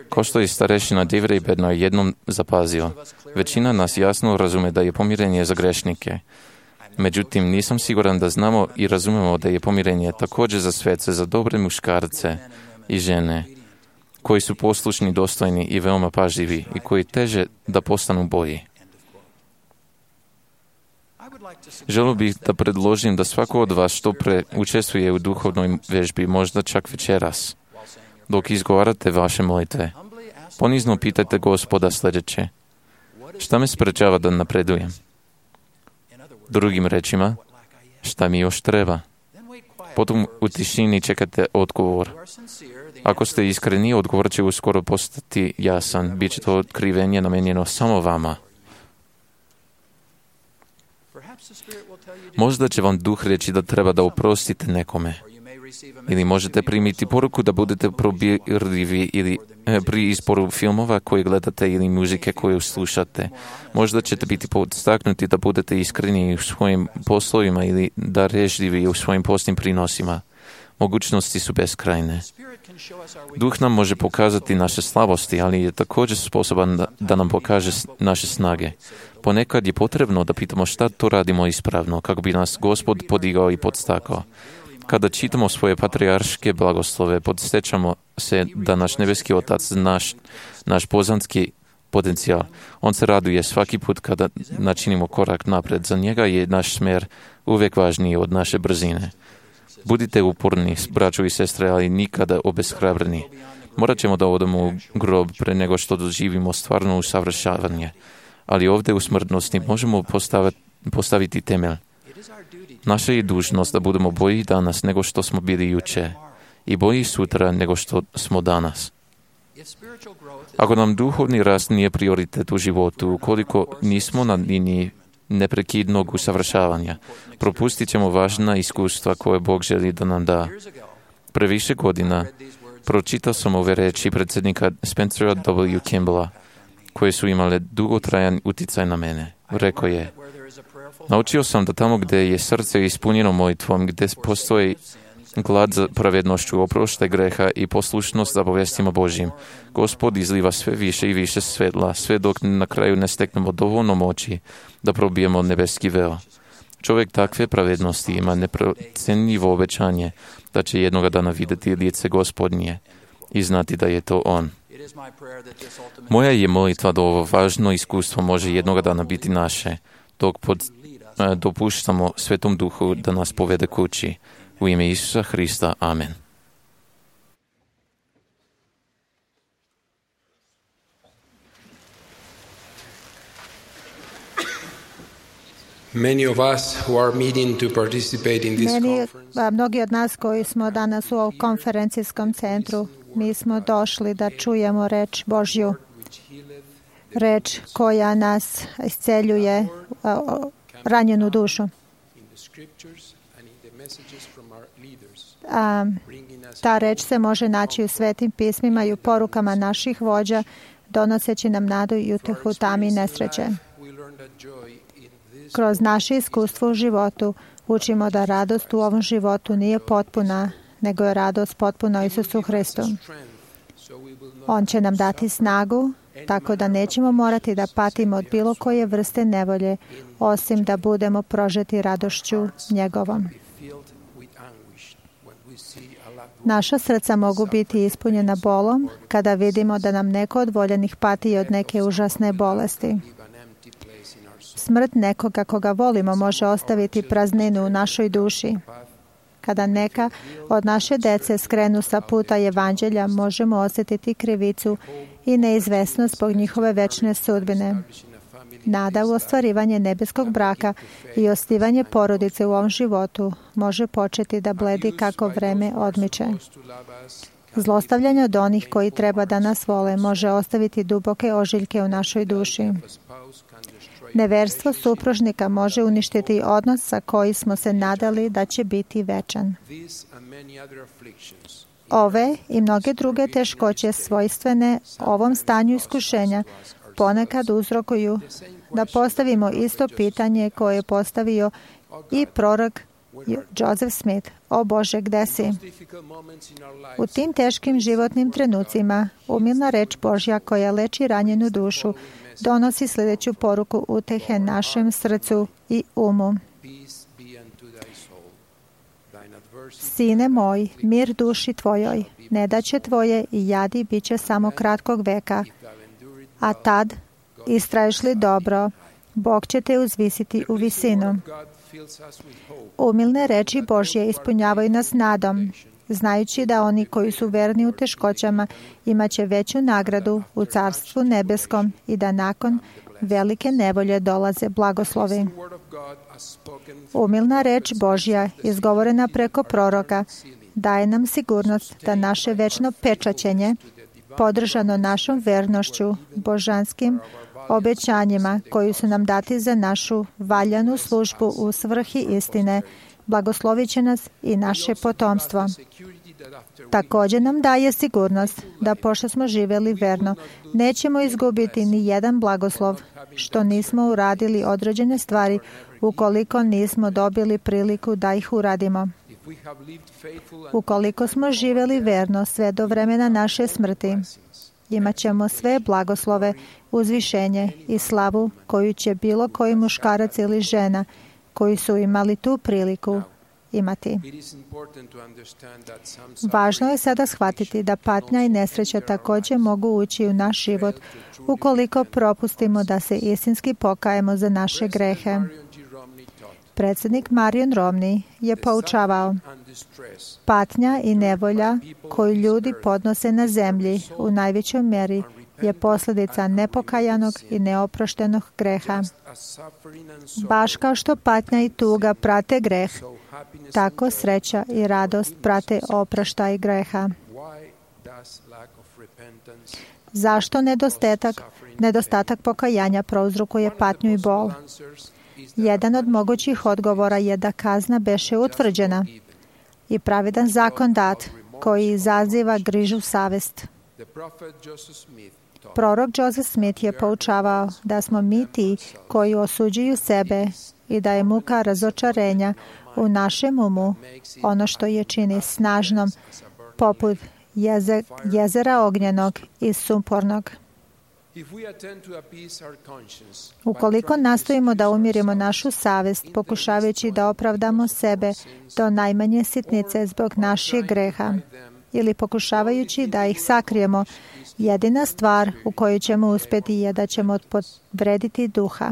Ko što je starešina Devrej Bednar jednom zapazio, većina nas jasno razume da je pomirenje za grešnike. Međutim, nisam siguran da znamo i razumemo da je pomirenje također za svece, za dobre muškarce i žene, koji su poslušni, dostojni i veoma pažljivi i koji teže da postanu bolji. Želio bih da predložim da svako od vas što pre učestvuje u duhovnoj vežbi, možda čak večeras. Dok izgovarate vaše molitve, ponizno pitajte Gospoda sljedeće: šta me sprečava da napredujem? Drugim rečima, šta mi još treba? Potom u tišini čekate odgovor. Ako ste iskreni, odgovor će uskoro postati jasan. Biće to otkrivenje namenjeno samo vama. Možda će vam duh reći da treba da oprostite nekome. Ili možete primiti poruku da budete probirljivi ili e, pri izboru filmova koje gledate ili muzike koju slušate. Možda ćete biti podstaknuti da budete iskreni u svojim poslovima ili da režljivi u svojim postnim prinosima. Mogućnosti su beskrajne. Duh nam može pokazati naše slabosti, ali je također sposoban da, da nam pokaže naše snage. Ponekad je potrebno da pitamo šta to radimo ispravno, kako bi nas Gospod podigao i podstakao. Kada čitamo svoje patrijarške blagoslove, podsjećamo se da naš nebeski Otac, naš, naš poznanski potencijal, on se raduje svaki put kada načinimo korak napred. Za njega je naš smjer uvijek važniji od naše brzine. Budite uporni, braćo i sestre, ali nikada obeshrabreni. Morat ćemo da odemo u grob pre nego što doživimo stvarno usavršavanje. Ali ovdje u smrtnosti možemo postaviti, postaviti temelj. Naša je dužnost da budemo bolji danas nego što smo bili juče i bolji sutra nego što smo danas. Ako nam duhovni rast nije prioritet u životu, ukoliko nismo na liniji neprekidnog usavršavanja, propustit ćemo važna iskustva koje Bog želi da nam da. Pre više godina pročitao sam ove reči predsjednika Spencera W. Kimballa, koje su imale dugotrajan uticaj na mene. Rekao je: naučio sam da tamo gdje je srce ispunjeno molitvom, gdje postoji glad za pravednošću, oproštaj greha i poslušnost za bogestima Božjim, Gospod izliva sve više i više svetla, sve dok na kraju ne steknemo dovoljno moći da probijemo nebeski veo. Čovjek takve pravednosti ima neprocenljivo obećanje da će jednoga dana vidjeti lice Gospodnje i znati da je to on. Moja je molitva da ovo važno iskustvo može jednoga dana biti naše, dok pod dopuštamo Svetom Duhu da nas povede kući. U ime Isusa Hrista. Amen. Many of us who are meeting to participate in this Meni, conference, mnogi od nas koji smo danas u ovom konferencijskom centru, mi smo došli da čujemo reč Božju, reč koja nas isceljuje ranjenu dušu. A, ta reč se može naći u svetim pismima i u porukama naših vođa, donoseći nam nadu i utehu u tami nesreće. Kroz naše iskustvo u životu učimo da radost u ovom životu nije potpuna, nego je radost potpuna u Isusu Hristu. On će nam dati snagu, tako da nećemo morati da patimo od bilo koje vrste nevolje, osim da budemo prožeti radošću njegovom. Naša srca mogu biti ispunjena bolom kada vidimo da nam neko od voljenih pati od neke užasne bolesti. Smrt nekoga koga volimo može ostaviti prazninu u našoj duši. Kada neka od naše dece skrenu sa puta evanđelja, možemo osjetiti krivicu i neizvesnost zbog njihove večne sudbine. Nada u ostvarivanje nebeskog braka i osnivanje porodice u ovom životu može početi da bledi kako vreme odmiče. Zlostavljanje od onih koji treba da nas vole može ostaviti duboke ožiljke u našoj duši. Neverstvo supružnika može uništiti odnos sa koji smo se nadali da će biti večan. Ove i mnoge druge teškoće svojstvene ovom stanju iskušenja ponekad uzrokuju da postavimo isto pitanje koje je postavio i prorok Joseph Smith. O Bože, gde si? U tim teškim životnim trenucima umilna reč Božja koja leči ranjenu dušu donosi sljedeću poruku utehe našem srcu i umu. Sine moj, mir duši tvojoj, nedaće tvoje i jadi bit će samo kratkog veka, a tad, istraješ li dobro, Bog će te uzvisiti u visinu. Umilne reči Božje ispunjavaju nas nadom, znajući da oni koji su verni u teškoćama imaće veću nagradu u Carstvu nebeskom i da nakon velike nevolje dolaze blagoslovi. Umilna reč Božja, izgovorena preko proroka, daje nam sigurnost da naše večno pečaćenje, podržano našom vernošću, božanskim obećanjima koji su nam dati za našu valjanu službu u svrhi istine, blagoslovit će nas i naše potomstvo. Također nam daje sigurnost da pošto smo živjeli verno, nećemo izgubiti ni jedan blagoslov što nismo uradili određene stvari ukoliko nismo dobili priliku da ih uradimo. Ukoliko smo živjeli verno sve do vremena naše smrti, imat ćemo sve blagoslove, uzvišenje i slavu koju će bilo koji muškarac ili žena koji su imali tu priliku imati. Važno je sada shvatiti da patnja i nesreća također mogu ući u naš život ukoliko propustimo da se istinski pokajemo za naše grehe. Predsjednik Marion Romney je poučavao: patnja i nevolja koju ljudi podnose na zemlji u najvećoj mjeri je posljedica nepokajanog i neoproštenog greha. Baš kao što patnja i tuga prate greh, tako sreća i radost prate oproštaj greha. Zašto nedostatak, nedostatak pokajanja prouzrokuje patnju i bol? Jedan od mogućih odgovora je da kazna beše utvrđena i pravedan zakon dat koji izaziva grižu savest. Prorok Joseph Smith je poučavao da smo mi ti koji osuđuju sebe i da je muka razočarenja u našem umu ono što je čini snažnom poput jeze, jezera ognjenog i sumpornog. Ukoliko nastojimo da umirimo našu savest, pokušavajući da opravdamo sebe do najmanje sitnice zbog naših greha, ili pokušavajući da ih sakrijemo, jedina stvar u kojoj ćemo uspjeti je da ćemo povrediti duha.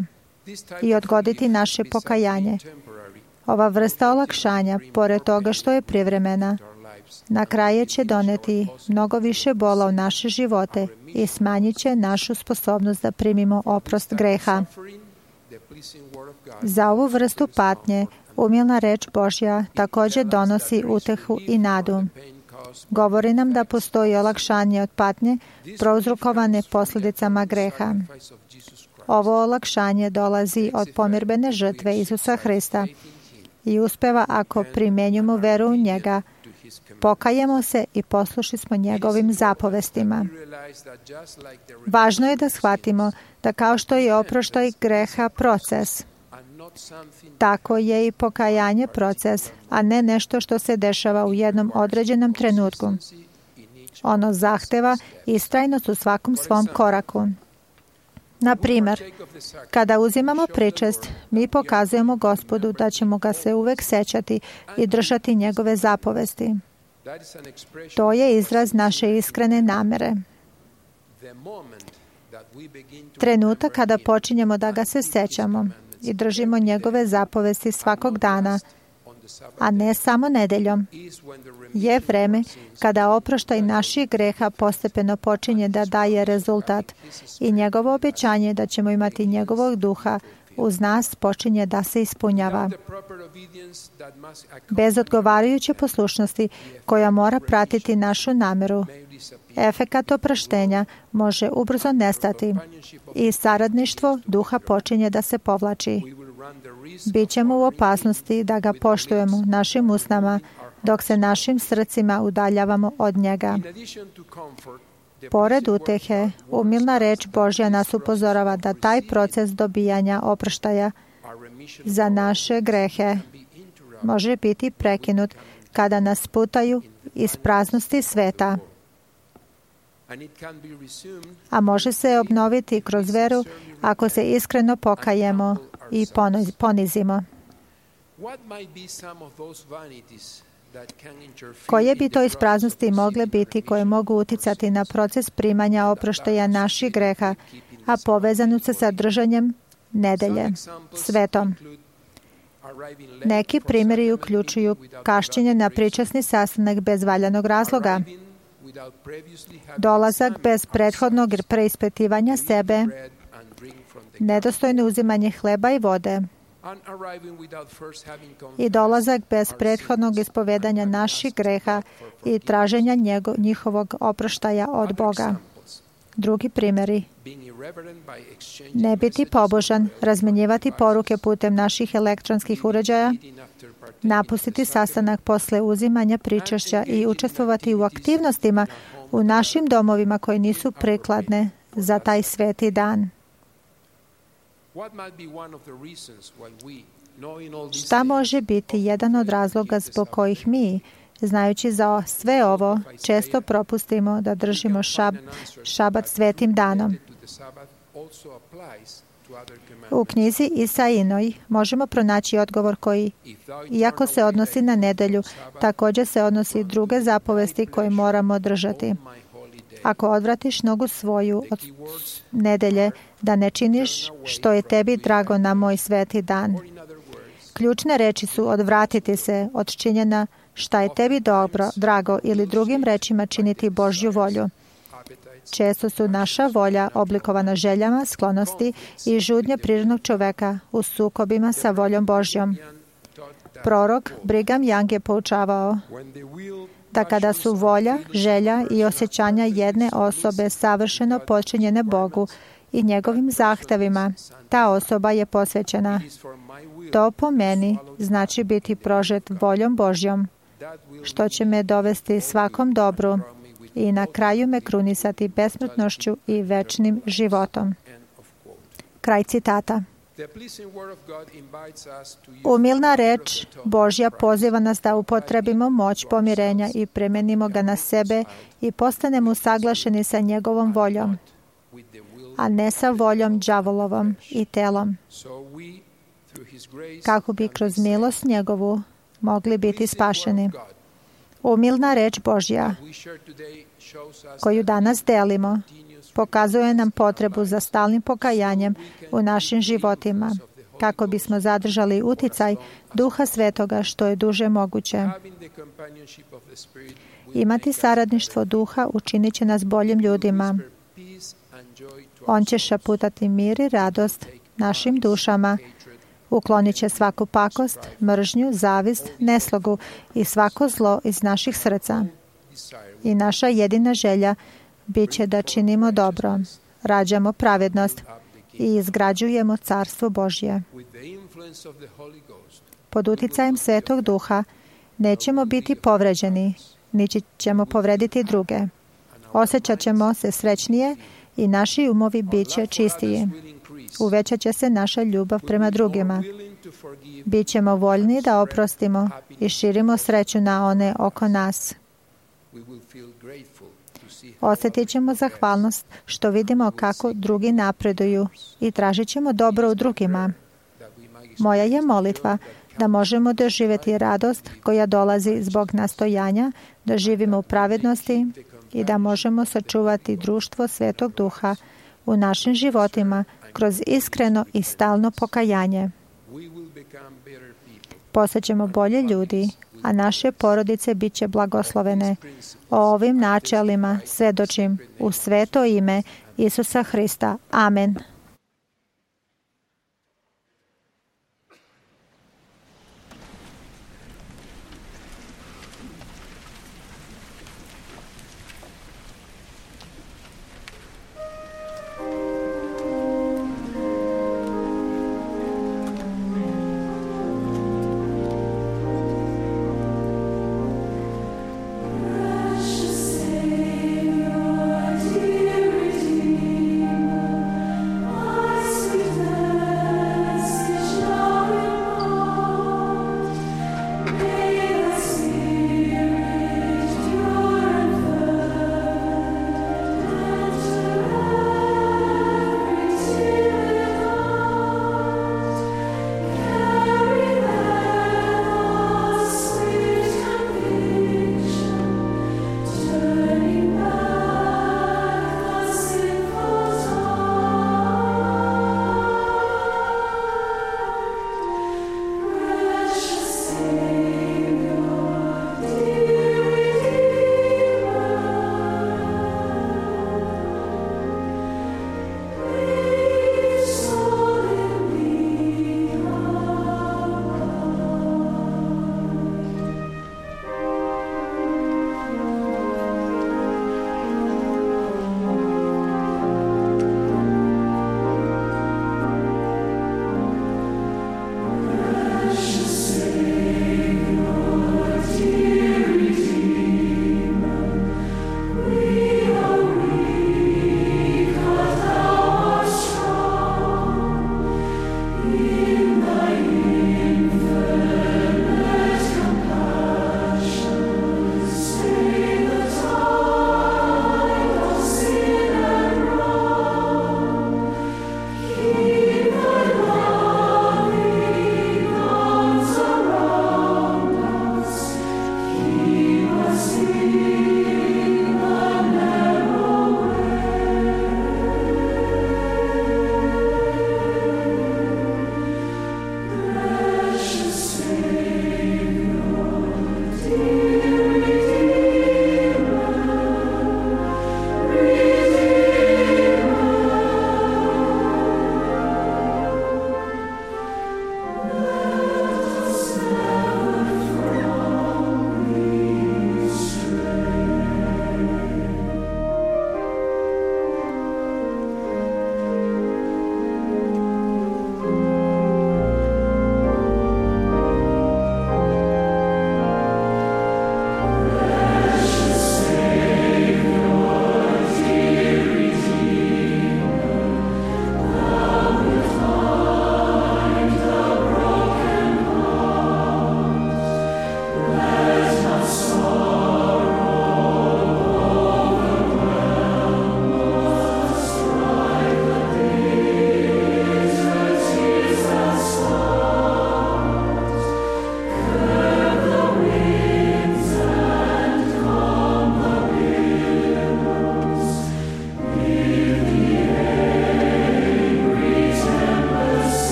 i odgoditi naše pokajanje. Ova vrsta olakšanja, pored toga što je privremena, na kraju će doneti mnogo više bola u naše živote i smanjit će našu sposobnost da primimo oprost greha. Za ovu vrstu patnje umilna reč Božja također donosi utehu i nadu. Govori nam da postoji olakšanje od patnje prouzrokovane posljedicama greha. Ovo olakšanje dolazi od pomirbene žrtve Isusa Hrista i uspeva ako primenjujemo veru u njega, pokajemo se i poslušni smo njegovim zapovestima. Važno je da shvatimo da kao što je oproštaj greha proces, tako je i pokajanje proces, a ne nešto što se dešava u jednom određenom trenutku. Ono zahteva istrajnost u svakom svom koraku. Na primjer, kada uzimamo pričest, mi pokazujemo Gospodu da ćemo ga se uvek sećati i držati njegove zapovesti. To je izraz naše iskrene namere. Trenutak kada počinjemo da ga se sećamo i držimo njegove zapovesti svakog dana, a ne samo nedeljom, je vreme kada oproštaj naših greha postepeno počinje da daje rezultat i njegovo obećanje da ćemo imati njegovog duha uz nas počinje da se ispunjava. Bez odgovarajuće poslušnosti koja mora pratiti našu nameru, efekat oproštenja može ubrzo nestati i saradništvo duha počinje da se povlači. Bićemo u opasnosti da ga poštujemo našim usnama dok se našim srcima udaljavamo od njega. Pored utehe, umilna reč Božja nas upozorava da taj proces dobijanja oproštaja za naše grehe može biti prekinut kada nas putaju iz praznosti sveta, a može se obnoviti kroz veru ako se iskreno pokajemo i ponizimo. Koje bi to ispraznosti mogle biti koje mogu uticati na proces primanja oproštaja naših greha, a povezano se sa držanjem nedelje, svetom? Neki primjeri uključuju kašnjenje na pričasni sastanak bez valjanog razloga, dolazak bez prethodnog preispitivanja sebe, nedostojno uzimanje hleba i vode i dolazak bez prethodnog ispovedanja naših greha i traženja njego, njihovog oproštaja od Boga. Drugi primjeri. Ne biti pobožan, razmenjivati poruke putem naših elektronskih uređaja, napustiti sastanak posle uzimanja pričašća i učestvovati u aktivnostima u našim domovima koje nisu prikladne za taj sveti dan. Šta može biti jedan od razloga zbog kojih mi, znajući za sve ovo, često propustimo da držimo šab, šabat svetim danom? U knjizi Isaijinoj možemo pronaći odgovor koji, iako se odnosi na nedelju, također se odnosi druge zapovesti koje moramo držati. Ako odvratiš nogu svoju od nedelje, da ne činiš što je tebi drago na moj sveti dan. Ključne reči su odvratiti se od činjenja šta je tebi dobro, drago ili drugim rečima činiti Božju volju. Često su naša volja oblikovana željama, sklonosti i žudnje prirodnog čoveka u sukobima sa voljom Božjom. Prorok Brigham Young je poučavao da kada su volja, želja i osjećanja jedne osobe savršeno podčinjene Bogu i njegovim zahtevima, ta osoba je posvećena. To po meni znači biti prožet voljom Božjom, što će me dovesti svakom dobru i na kraju me krunisati besmrtnošću i večnim životom. Kraj citata. Umilna reč Božja poziva nas da upotrebimo moć pomirenja i premenimo ga na sebe i postanemo usaglašeni sa njegovom voljom, a ne sa voljom đavolovom i telom, kako bi kroz milost njegovu mogli biti spašeni. Umilna reč Božja koju danas delimo pokazuje nam potrebu za stalnim pokajanjem u našim životima, kako bismo zadržali uticaj Duha Svetoga što je duže moguće. Imati saradništvo Duha učinit će nas boljim ljudima. On će šaputati mir i radost našim dušama, uklonit će svaku pakost, mržnju, zavist, neslogu i svako zlo iz naših srca. I naša jedina želja bit će da činimo dobro, rađamo pravednost i izgrađujemo Carstvo Božje. Pod uticajem Svetog Duha nećemo biti povređeni, niti ćemo povrediti druge. Osjećat ćemo se srećnije i naši umovi bit će čistiji. Uvećat će se naša ljubav prema drugima. Bićemo voljni da oprostimo i širimo sreću na one oko nas. Osjetit ćemo zahvalnost što vidimo kako drugi napreduju i tražit ćemo dobro u drugima. Moja je molitva da možemo doživjeti radost koja dolazi zbog nastojanja, da živimo u pravednosti i da možemo sačuvati društvo Svetog Duha u našim životima kroz iskreno i stalno pokajanje. Postaćemo bolje ljudi, a naše porodice bit će blagoslovene. O ovim načelima svedočim u sveto ime Isusa Hrista. Amen. Savior, dear Redeemer,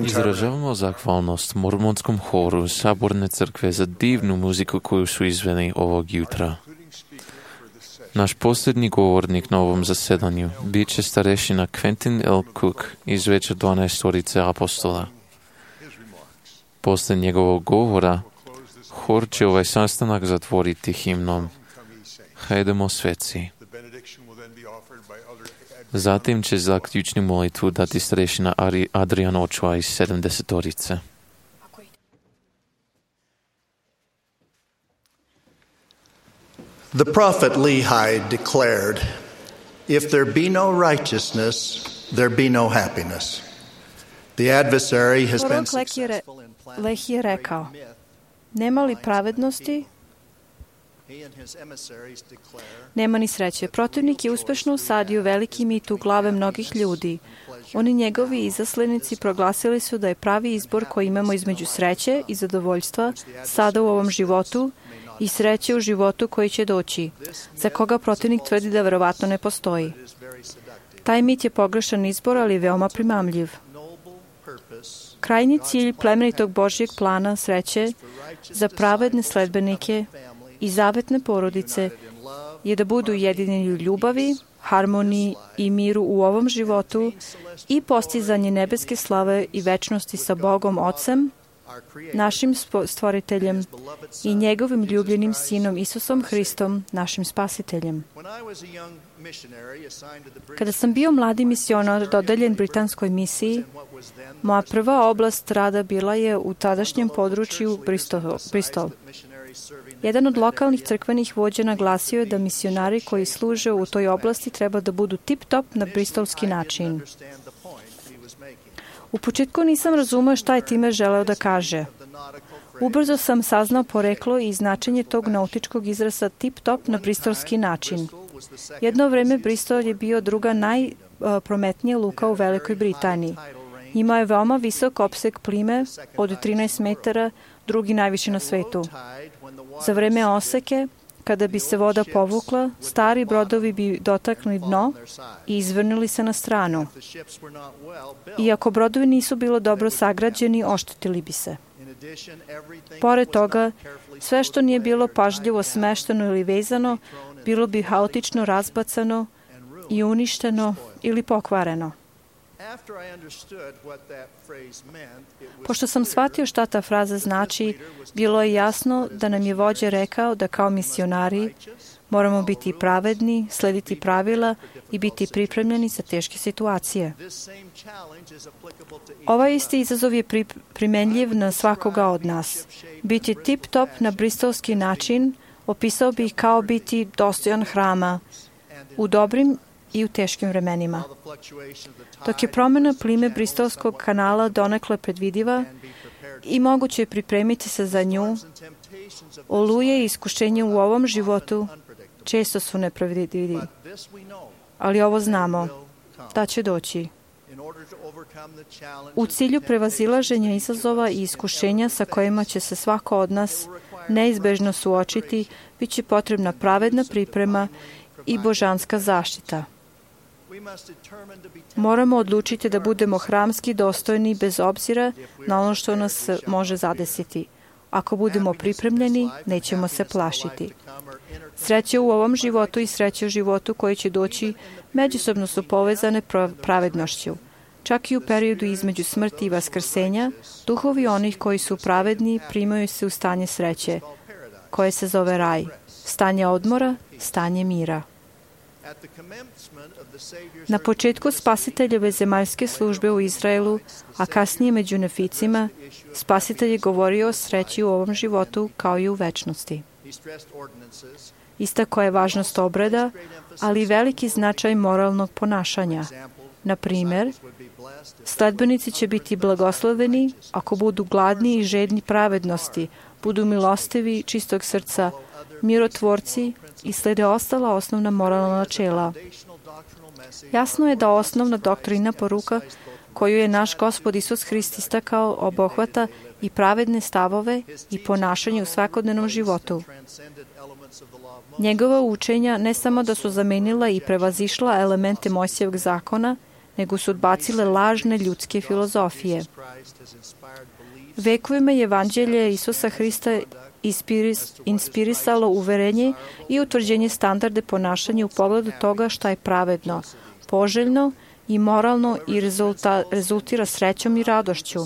Izražavamo zahvalnost mormonskom horu Saborne crkve za divnu muziku koju su izveli ovog jutra. Naš posljednji govornik na ovom zasedanju bit će starešina Quentin L. Cook iz Veća dvanaestorice apostola. Posle njegovog govora, hor će ovaj sastanak zatvoriti himnom Hajdemo sveci. Zatim će zaključnu molitvu dati starešina Adrian Ochoa iz sedamdesetorice. The prophet Lehi declared, "If there be no righteousness, there be no happiness." The adversary has been successful in planting Lehi je rekao, nema li pravednosti, nema ni sreće. Protivnik je uspešno usadio veliki mit u glave mnogih ljudi. Oni njegovi izaslenici proglasili su da je pravi izbor koji imamo između sreće i zadovoljstva sada u ovom životu i sreće u životu koji će doći, za koga protivnik tvrdi da verovatno ne postoji. Taj mit je pogrešan izbor, ali je veoma primamljiv. Krajnji cilj plemenitog Božjeg plana sreće za pravedne sledbenike i zavetne porodice je da budu jedinjeni u ljubavi, harmoniji i miru u ovom životu i postizanje nebeske slave i večnosti sa Bogom Ocem, našim stvoriteljem i njegovim ljubljenim sinom Isusom Hristom, našim spasiteljem. Kada sam bio mladi misionar dodeljen britanskoj misiji, moja prva oblast rada bila je u tadašnjem području Bristol. Jedan od lokalnih crkvenih vođa naglasio je da misionari koji služe u toj oblasti treba da budu tip-top na bristolski način. U početku nisam razumeo šta je time želeo da kaže. Ubrzo sam saznao poreklo i značenje tog nautičkog izraza tip-top na bristolski način. Jedno vreme Bristol je bio druga najprometnija luka u Velikoj Britaniji. Imao je veoma visok opseg plime od trinaest metara, drugi najviši na svetu. Za vreme oseke, kada bi se voda povukla, stari brodovi bi dotakli dno i izvrnuli se na stranu. Iako brodovi nisu bilo dobro sagrađeni, oštetili bi se. Pored toga, sve što nije bilo pažljivo smešteno ili vezano, bilo bi haotično razbacano i uništeno ili pokvareno. Pošto sam shvatio šta ta fraza znači, bilo je jasno da nam je vođa rekao da kao misionari moramo biti pravedni, slediti pravila i biti pripremljeni za teške situacije. Ovaj isti izazov je pri, primenljiv na svakoga od nas. Biti tip-top na bristolski način opisao bih kao biti dostojan hrama u dobrim i u teškim vremenima. Dok je promjena plime Bristolskog kanala donekle predvidiva i moguće je pripremiti se za nju, oluje i iskušenje u ovom životu često su nepredvidivi. Ali ovo znamo, da će doći. U cilju prevazilaženja izazova i iskušenja sa kojima će se svako od nas neizbežno suočiti, bit će potrebna pravedna priprema i božanska zaštita. Moramo odlučiti da budemo hramski dostojni bez obzira na ono što nas može zadesiti. Ako budemo pripremljeni, nećemo se plašiti. Sreće u ovom životu i sreće u životu koji će doći međusobno su povezane pravednošću. Čak i u periodu između smrti i vaskrsenja, duhovi onih koji su pravedni primaju se u stanje sreće, koje se zove raj, stanje odmora, stanje mira. Na početku Spasiteljeve zemaljske službe u Izraelu, a kasnije među neficima, Spasitelj je govorio o sreći u ovom životu kao i u večnosti. Istako je važnost obreda, ali i veliki značaj moralnog ponašanja. Na primjer, sledbenici će biti blagosloveni ako budu gladni i žedni pravednosti, budu milostivi, čistog srca, mirotvorci i slede ostala osnovna moralna načela. Jasno je da osnovna doktrina poruka koju je naš Gospod Isus Hrist istakao obuhvata i pravedne stavove i ponašanje u svakodnevnom životu. Njegova učenja ne samo da su zamenila i prevazišla elemente Mojsijevog zakona, nego su odbacile lažne ljudske filozofije. Vekovima je evanđelje Isusa Hrista ispiris, inspirisalo uverenje i utvrđenje standarde ponašanja u pogledu toga šta je pravedno, poželjno i moralno i rezulta, rezultira srećom i radošću.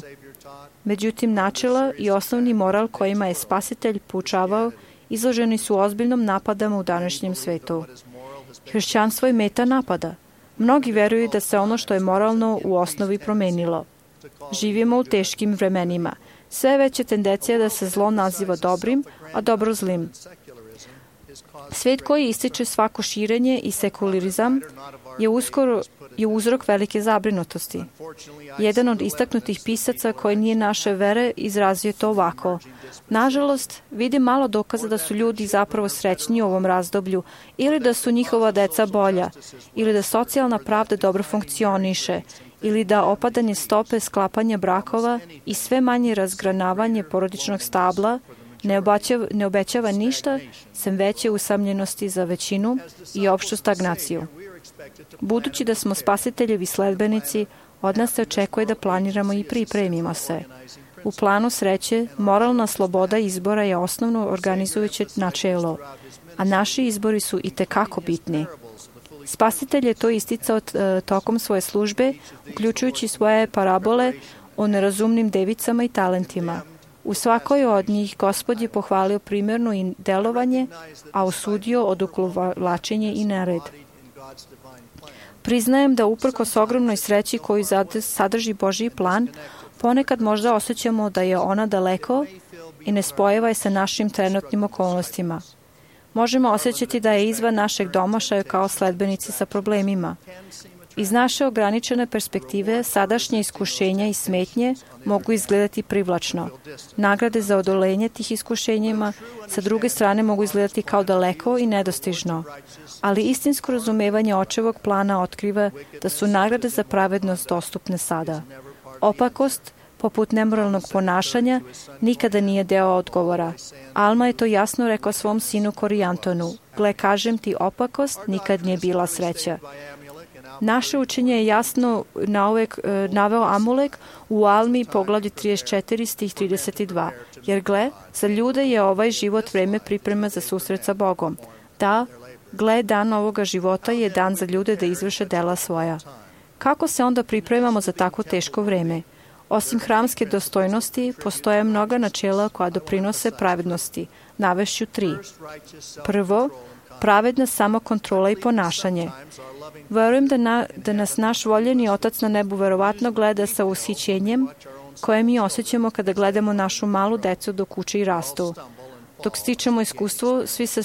Međutim, načela i osnovni moral kojima je Spasitelj poučavao izloženi su ozbiljnom napadama u današnjem svetu. Hrišćanstvo je meta napada. Mnogi veruju da se ono što je moralno u osnovi promenilo. Živimo u teškim vremenima. Sve veća tendencija da se zlo naziva dobrim, a dobro zlim. Svet koji ističe svako širenje i sekularizam je uskoro je uzrok velike zabrinutosti. Jedan od istaknutih pisaca koji nije naše vere izrazio to ovako. Nažalost, vidim malo dokaza da su ljudi zapravo srećni u ovom razdoblju ili da su njihova deca bolja, ili da socijalna pravda dobro funkcioniše, ili da opadanje stope sklapanja brakova i sve manje razgranavanje porodičnog stabla ne obećava, ne obećava ništa, sem veće usamljenosti za većinu i opštu stagnaciju. Budući da smo Spasiteljevi sledbenici, od nas se očekuje da planiramo i pripremimo se. U planu sreće, moralna sloboda izbora je osnovno organizujuće načelo, a naši izbori su i tekako bitni. Spasitelj je to isticao t- tokom svoje službe, uključujući svoje parabole o nerazumnim devicama i talentima. U svakoj od njih Gospod je pohvalio primjerno i delovanje, a osudio odugovlačenje i nered. Priznajem da uprkos ogromnoj sreći koju sadrži Božji plan, ponekad možda osjećamo da je ona daleko i ne spojeva je sa našim trenutnim okolnostima. Možemo osjećati da je izvan našeg domašaja kao sledbenici sa problemima. Iz naše ograničene perspektive, sadašnje iskušenja i smetnje mogu izgledati privlačno. Nagrade za odolenje tih iskušenjima sa druge strane mogu izgledati kao daleko i nedostižno. Ali istinsko razumevanje očevog plana otkriva da su nagrade za pravednost dostupne sada. Opakost, poput nemoralnog ponašanja, nikada nije deo odgovora. Alma je to jasno rekao svom sinu Korijantonu. Gle, kažem ti, opakost nikad nije bila sreća. Naše učenje je jasno nauvek, naveo Amulek u Almi poglavlje trideset četiri stih trideset dva. Jer gle, za ljude je ovaj život vreme priprema za susret sa Bogom. Da, gle, dan ovoga života je dan za ljude da izvrše dela svoja. Kako se onda pripremamo za tako teško vreme? Osim hramske dostojnosti, postoje mnoga načela koja doprinose pravednosti. Navešću tri. Prvo, pravedna samokontrola i ponašanje. Verujem da, na, da nas naš voljeni Otac na nebu verovatno gleda sa ushićenjem koje mi osjećamo kada gledamo našu malu decu dok uče i rastu. Dok stičemo iskustvo, svi se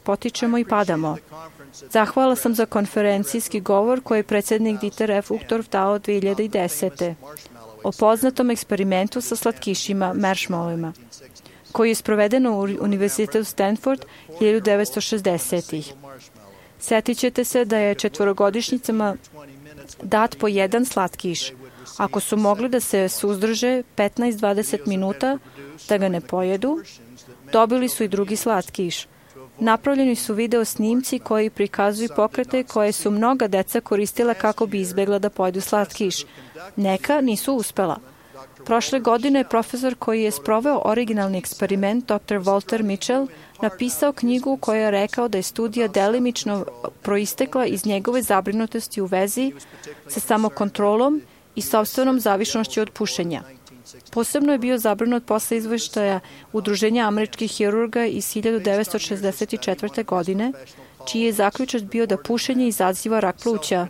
potičemo i padamo. Zahvala sam za konferencijski govor koji je predsjednik Dieter F. Uchtdorf dao dve hiljade desete. o poznatom eksperimentu sa slatkišima, marshmallowima, koji je sproveden u Univerzitetu Stanford hiljadu devetsto šezdesetih. Sjetit ćete se da je četvorogodišnjicama dat po jedan slatkiš. Ako su mogli da se suzdrže petnaest do dvadeset minuta da ga ne pojedu, dobili su i drugi slatkiš. Napravljeni su video snimci koji prikazuju pokrete koje su mnoga deca koristila kako bi izbjegla da pojedu slatkiš. Neka nisu uspela. Prošle godine je profesor koji je sproveo originalni eksperiment, doktor Walter Mitchell, napisao knjigu koja je rekao da je studija delimično proistekla iz njegove zabrinutosti u vezi sa samokontrolom i sopstvenom zavišnošću od pušenja. Posebno je bio zabrinut posle izveštaja Udruženja američkih hirurga iz hiljadu devetsto šezdeset četvrte. godine, čiji je zaključak bio da pušenje izaziva rak pluća.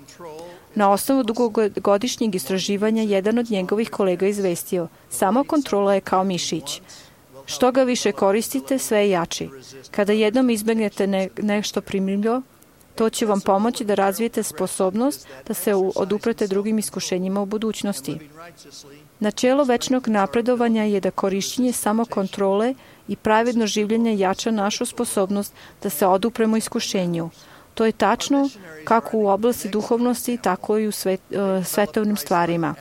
Na osnovu dugogodišnjeg istraživanja, jedan od njegovih kolega izvestio, samo kontrola je kao mišić. Što ga više koristite, sve je jači. Kada jednom izbegnete ne, nešto primljivo, to će vam pomoći da razvijete sposobnost da se oduprete drugim iskušenjima u budućnosti. Načelo večnog napredovanja je da korišćenje samokontrole i pravedno življenje jača našu sposobnost da se odupremo iskušenju. To je tačno kako u oblasti duhovnosti, tako i u svet, uh, svetovnim stvarima.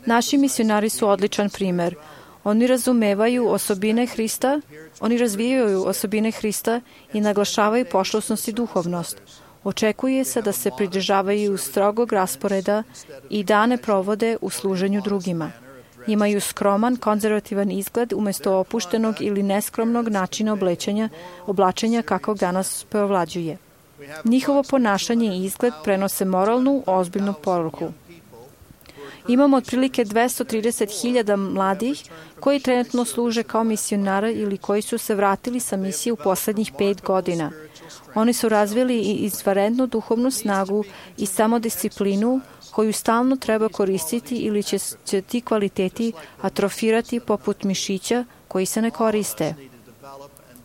Naši misionari su odličan primer. Oni razumevaju osobine Hrista, oni razvijaju osobine Hrista i naglašavaju pošlosnost i duhovnost. Očekuje se da se pridržavaju strogog rasporeda i dane provode u služenju drugima. Imaju skroman, konzervativan izgled umjesto opuštenog ili neskromnog načina oblačenja, oblačenja kakvog danas preovlađuje. Njihovo ponašanje i izgled prenose moralnu, ozbiljnu poruku. Imamo otprilike dvesta trideset hiljada mladih koji trenutno služe kao misionari ili koji su se vratili sa misije u poslednjih pet godina. Oni su razvili i izvanrednu duhovnu snagu i samodisciplinu koju stalno treba koristiti ili će, će ti kvaliteti atrofirati poput mišića koji se ne koriste.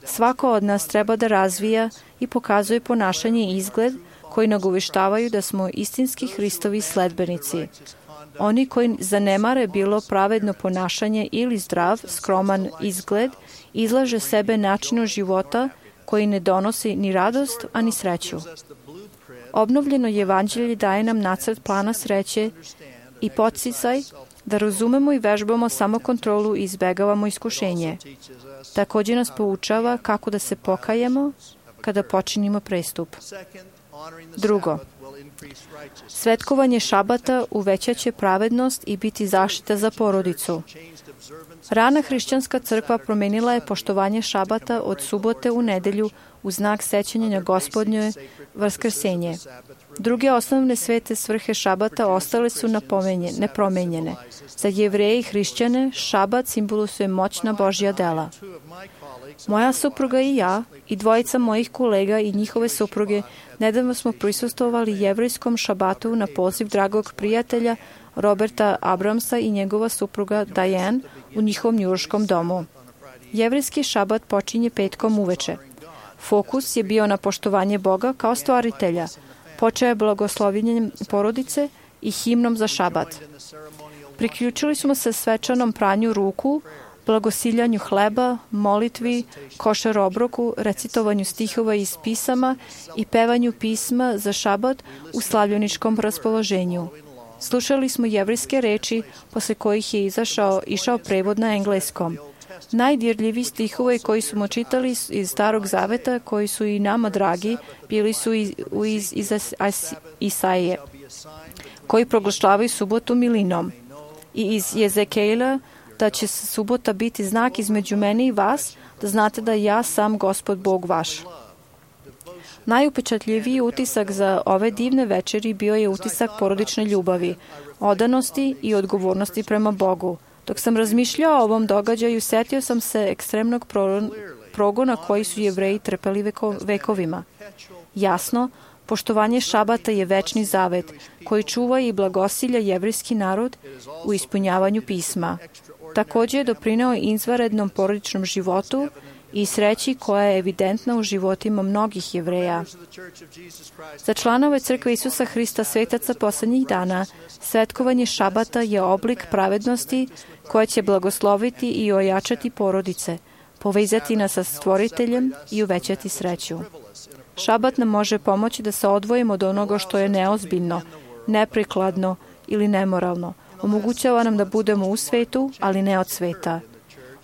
Svako od nas treba da razvija i pokazuje ponašanje i izgled koji nagoveštavaju da smo istinski Hristovi sledbenici. Oni koji zanemare bilo pravedno ponašanje ili zdrav, skroman izgled, izlaže sebe načinu života koji ne donosi ni radost, a ni sreću. Obnovljeno evanđelje daje nam nacrt plana sreće i podsticaj da razumemo i vežbamo samokontrolu i izbegavamo iskušenje. Također nas poučava kako da se pokajemo kada počinimo prestup. Drugo, svetkovanje šabata uvećaće pravednost i biti zaštita za porodicu. Rana hrišćanska crkva promenila je poštovanje šabata od subote u nedelju u znak sećanja na Gospodnje vaskrsenje. Druge osnovne svete svrhe šabata ostale su nepromenjene. Za Jevreje i hrišćane šabat simbolizuje moćna Božja dela. Moja supruga i ja i dvojica mojih kolega i njihove supruge nedavno smo prisustvovali jevrejskom šabatu na poziv dragog prijatelja Roberta Abramsa i njegova supruga Diane u njihovom njujorškom domu. Jevrejski šabat počinje petkom uveče. Fokus je bio na poštovanje Boga kao stvaritelja, počeo je blagoslovljenjem porodice i himnom za šabat. Priključili smo se svečanom pranju ruku, blagosiljanju hleba, molitvi, košar obroku, recitovanju stihova iz pisama i pevanju pisma za šabat u slavljeničkom raspoloženju. Slušali smo jevrejske reči, posle kojih je izašao, išao prevod na engleskom. Najdirljiviji stihovi koji smo čitali iz Starog zaveta, koji su i nama dragi, bili su iz, iz, iz Isaije, koji proglašavaju subotu milinom. I iz Jezekijela, da će subota biti znak između mene i vas, da znate da ja sam Gospod Bog vaš. Najupečatljiviji utisak za ove divne večeri bio je utisak porodične ljubavi, odanosti i odgovornosti prema Bogu. Dok sam razmišljao o ovom događaju, setio sam se ekstremnog progona koji su Jevreji trpeli veko, vekovima. Jasno, poštovanje šabata je večni zavet koji čuva i blagosilja jevrejski narod u ispunjavanju pisma. Također je doprineo izvanrednom porodičnom životu i sreći koja je evidentna u životima mnogih Jevreja. Za članove Crkve Isusa Hrista svetaca poslednjih dana, svetkovanje šabata je oblik pravednosti koja će blagosloviti i ojačati porodice, povezati nas sa Stvoriteljem i uvećati sreću. Šabat nam može pomoći da se odvojimo od onoga što je neozbiljno, neprikladno ili nemoralno. Omogućava nam da budemo u svetu, ali ne od sveta.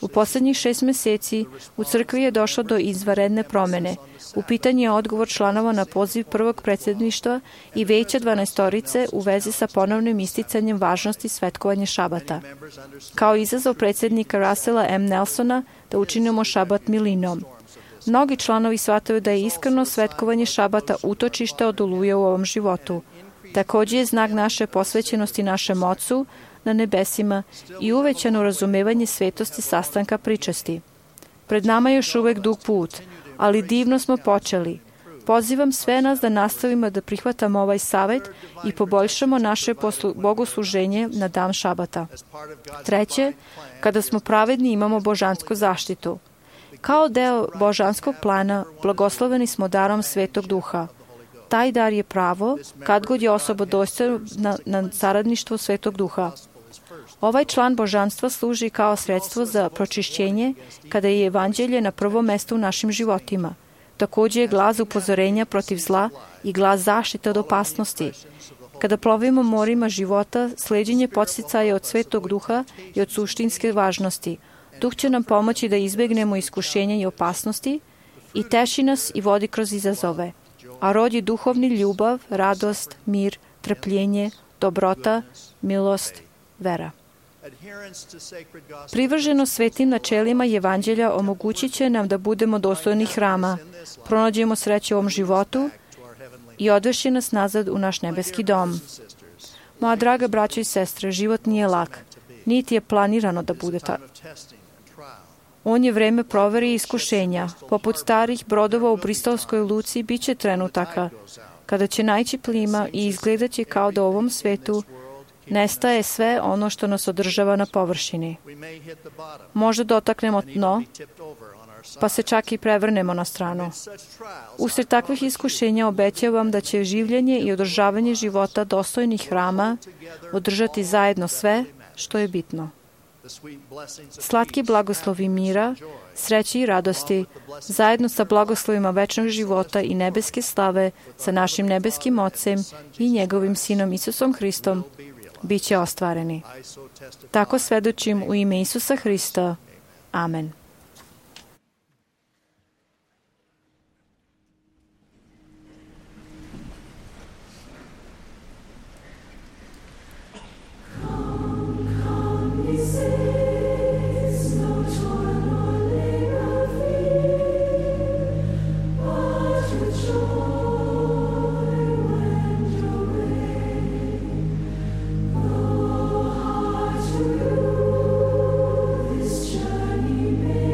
U poslednjih šest meseci u crkvi je došlo do izvanredne promene. U pitanju je odgovor članova na poziv prvog predsjedništva i veća dvanaestorice u vezi sa ponovnim isticanjem važnosti svetkovanja šabata. Kao izazov predsjednika Russella M. Nelsona da učinimo šabat milinom. Mnogi članovi shvataju da je iskreno svetkovanje šabata utočište od oluje u ovom životu. Također je znak naše posvećenosti našem Ocu na nebesima i uvećano razumevanje svetosti sastanka pričasti. Pred nama je još uvek dug put, ali divno smo počeli. Pozivam sve nas da nastavimo da prihvatamo ovaj savet i poboljšamo naše poslu, bogosluženje na dan šabata. Treće, kada smo pravedni imamo božansku zaštitu. Kao deo božanskog plana, blagosloveni smo darom Svetog Duha. Taj dar je pravo, kad god je osoba dostojna na, na saradništvo Svetog Duha. Ovaj član božanstva služi kao sredstvo za pročišćenje kada je evanđelje na prvom mestu u našim životima. Također je glas upozorenja protiv zla i glas zaštite od opasnosti. Kada plovimo morima života, sleđenje podsticaja od Svetog Duha i od suštinske važnosti. Duh će nam pomoći da izbegnemo iskušenja i opasnosti i teši nas i vodi kroz izazove. a rod je duhovni ljubav, radost, mir, trpljenje, dobrota, milost, vera. Privrženo svetim načelima Evanđelja omogućit će nam da budemo dostojni hrama, pronađemo sreću u ovom životu i odvešće nas nazad u naš nebeski dom. Moja draga braćo i sestre, život nije lak, niti je planirano da bude tako. On je vreme provere i iskušenja. Poput starih brodova u Bristolskoj luci bit će trenutaka kada će naići plima i izgledat će kao da u ovom svetu nestaje sve ono što nas održava na površini. Možda dotaknemo dno, pa se čak i prevrnemo na stranu. Usred takvih iskušenja obećavam da će življenje i održavanje života dostojnih hrama održati zajedno sve što je bitno. Slatki blagoslovi mira, sreće i radosti, zajedno sa blagoslovima večnog života i nebeske slave sa našim nebeskim Ocem i njegovim Sinom Isusom Hristom, bit će ostvareni. Tako svedočim u ime Isusa Hrista. Amen. Journey may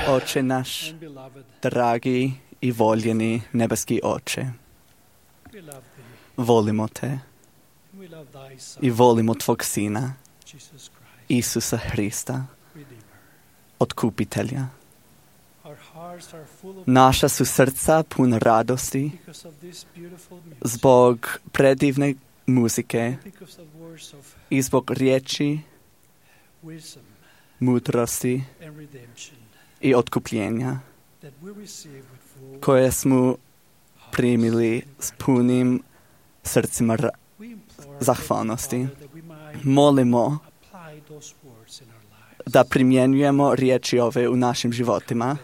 Oče naš, dragi i voljeni nebeski Oče, volimo te i volimo tvog Sina, Isusa Hrista, Otkupitelja. Naša su srca puna radosti zbog predivne muzike i zbog riječi, mudrosti i otkupljenja koje smo primili s punim srcima ra- zahvalnosti. Molimo da primjenjujemo riječi ove u našim životima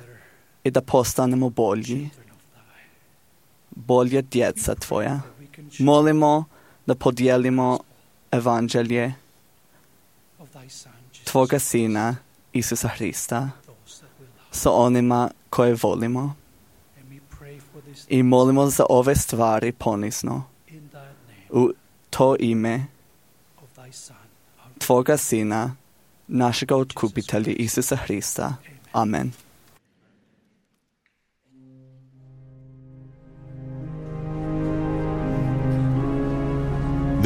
i da postanemo bolji, bolje djeca tvoja. Molimo da podijelimo evanđelje tvoga Sina, Isusa Hrista, sa onima koje volimo. I molimo za ove stvari ponizno u to ime tvoga Sina, našega Otkupitelja Isusa Hrista. Amen.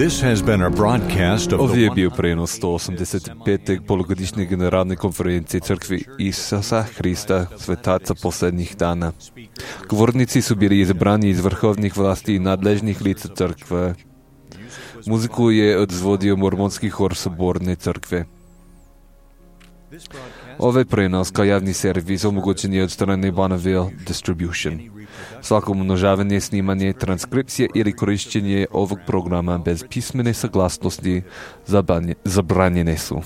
This has been a broadcast of Ovo the je bio prenos sto osamdeset pete polugodišnje generalne konferencije Crkvi Isusa Hrista, svetaca posljednjih dana. Govornici su bili izabrani iz vrhovnih vlasti i nadležnih lica crkve. Muziku je odzvodio mormonski hor Soborne crkve. Ovaj prenos kao javni servis omogućen je od strane Bonneville Distribution. Svako umnožavanje, snimanje, transkripcija ili korišćenje ovog programa bez pismene saglasnosti zabranjene su.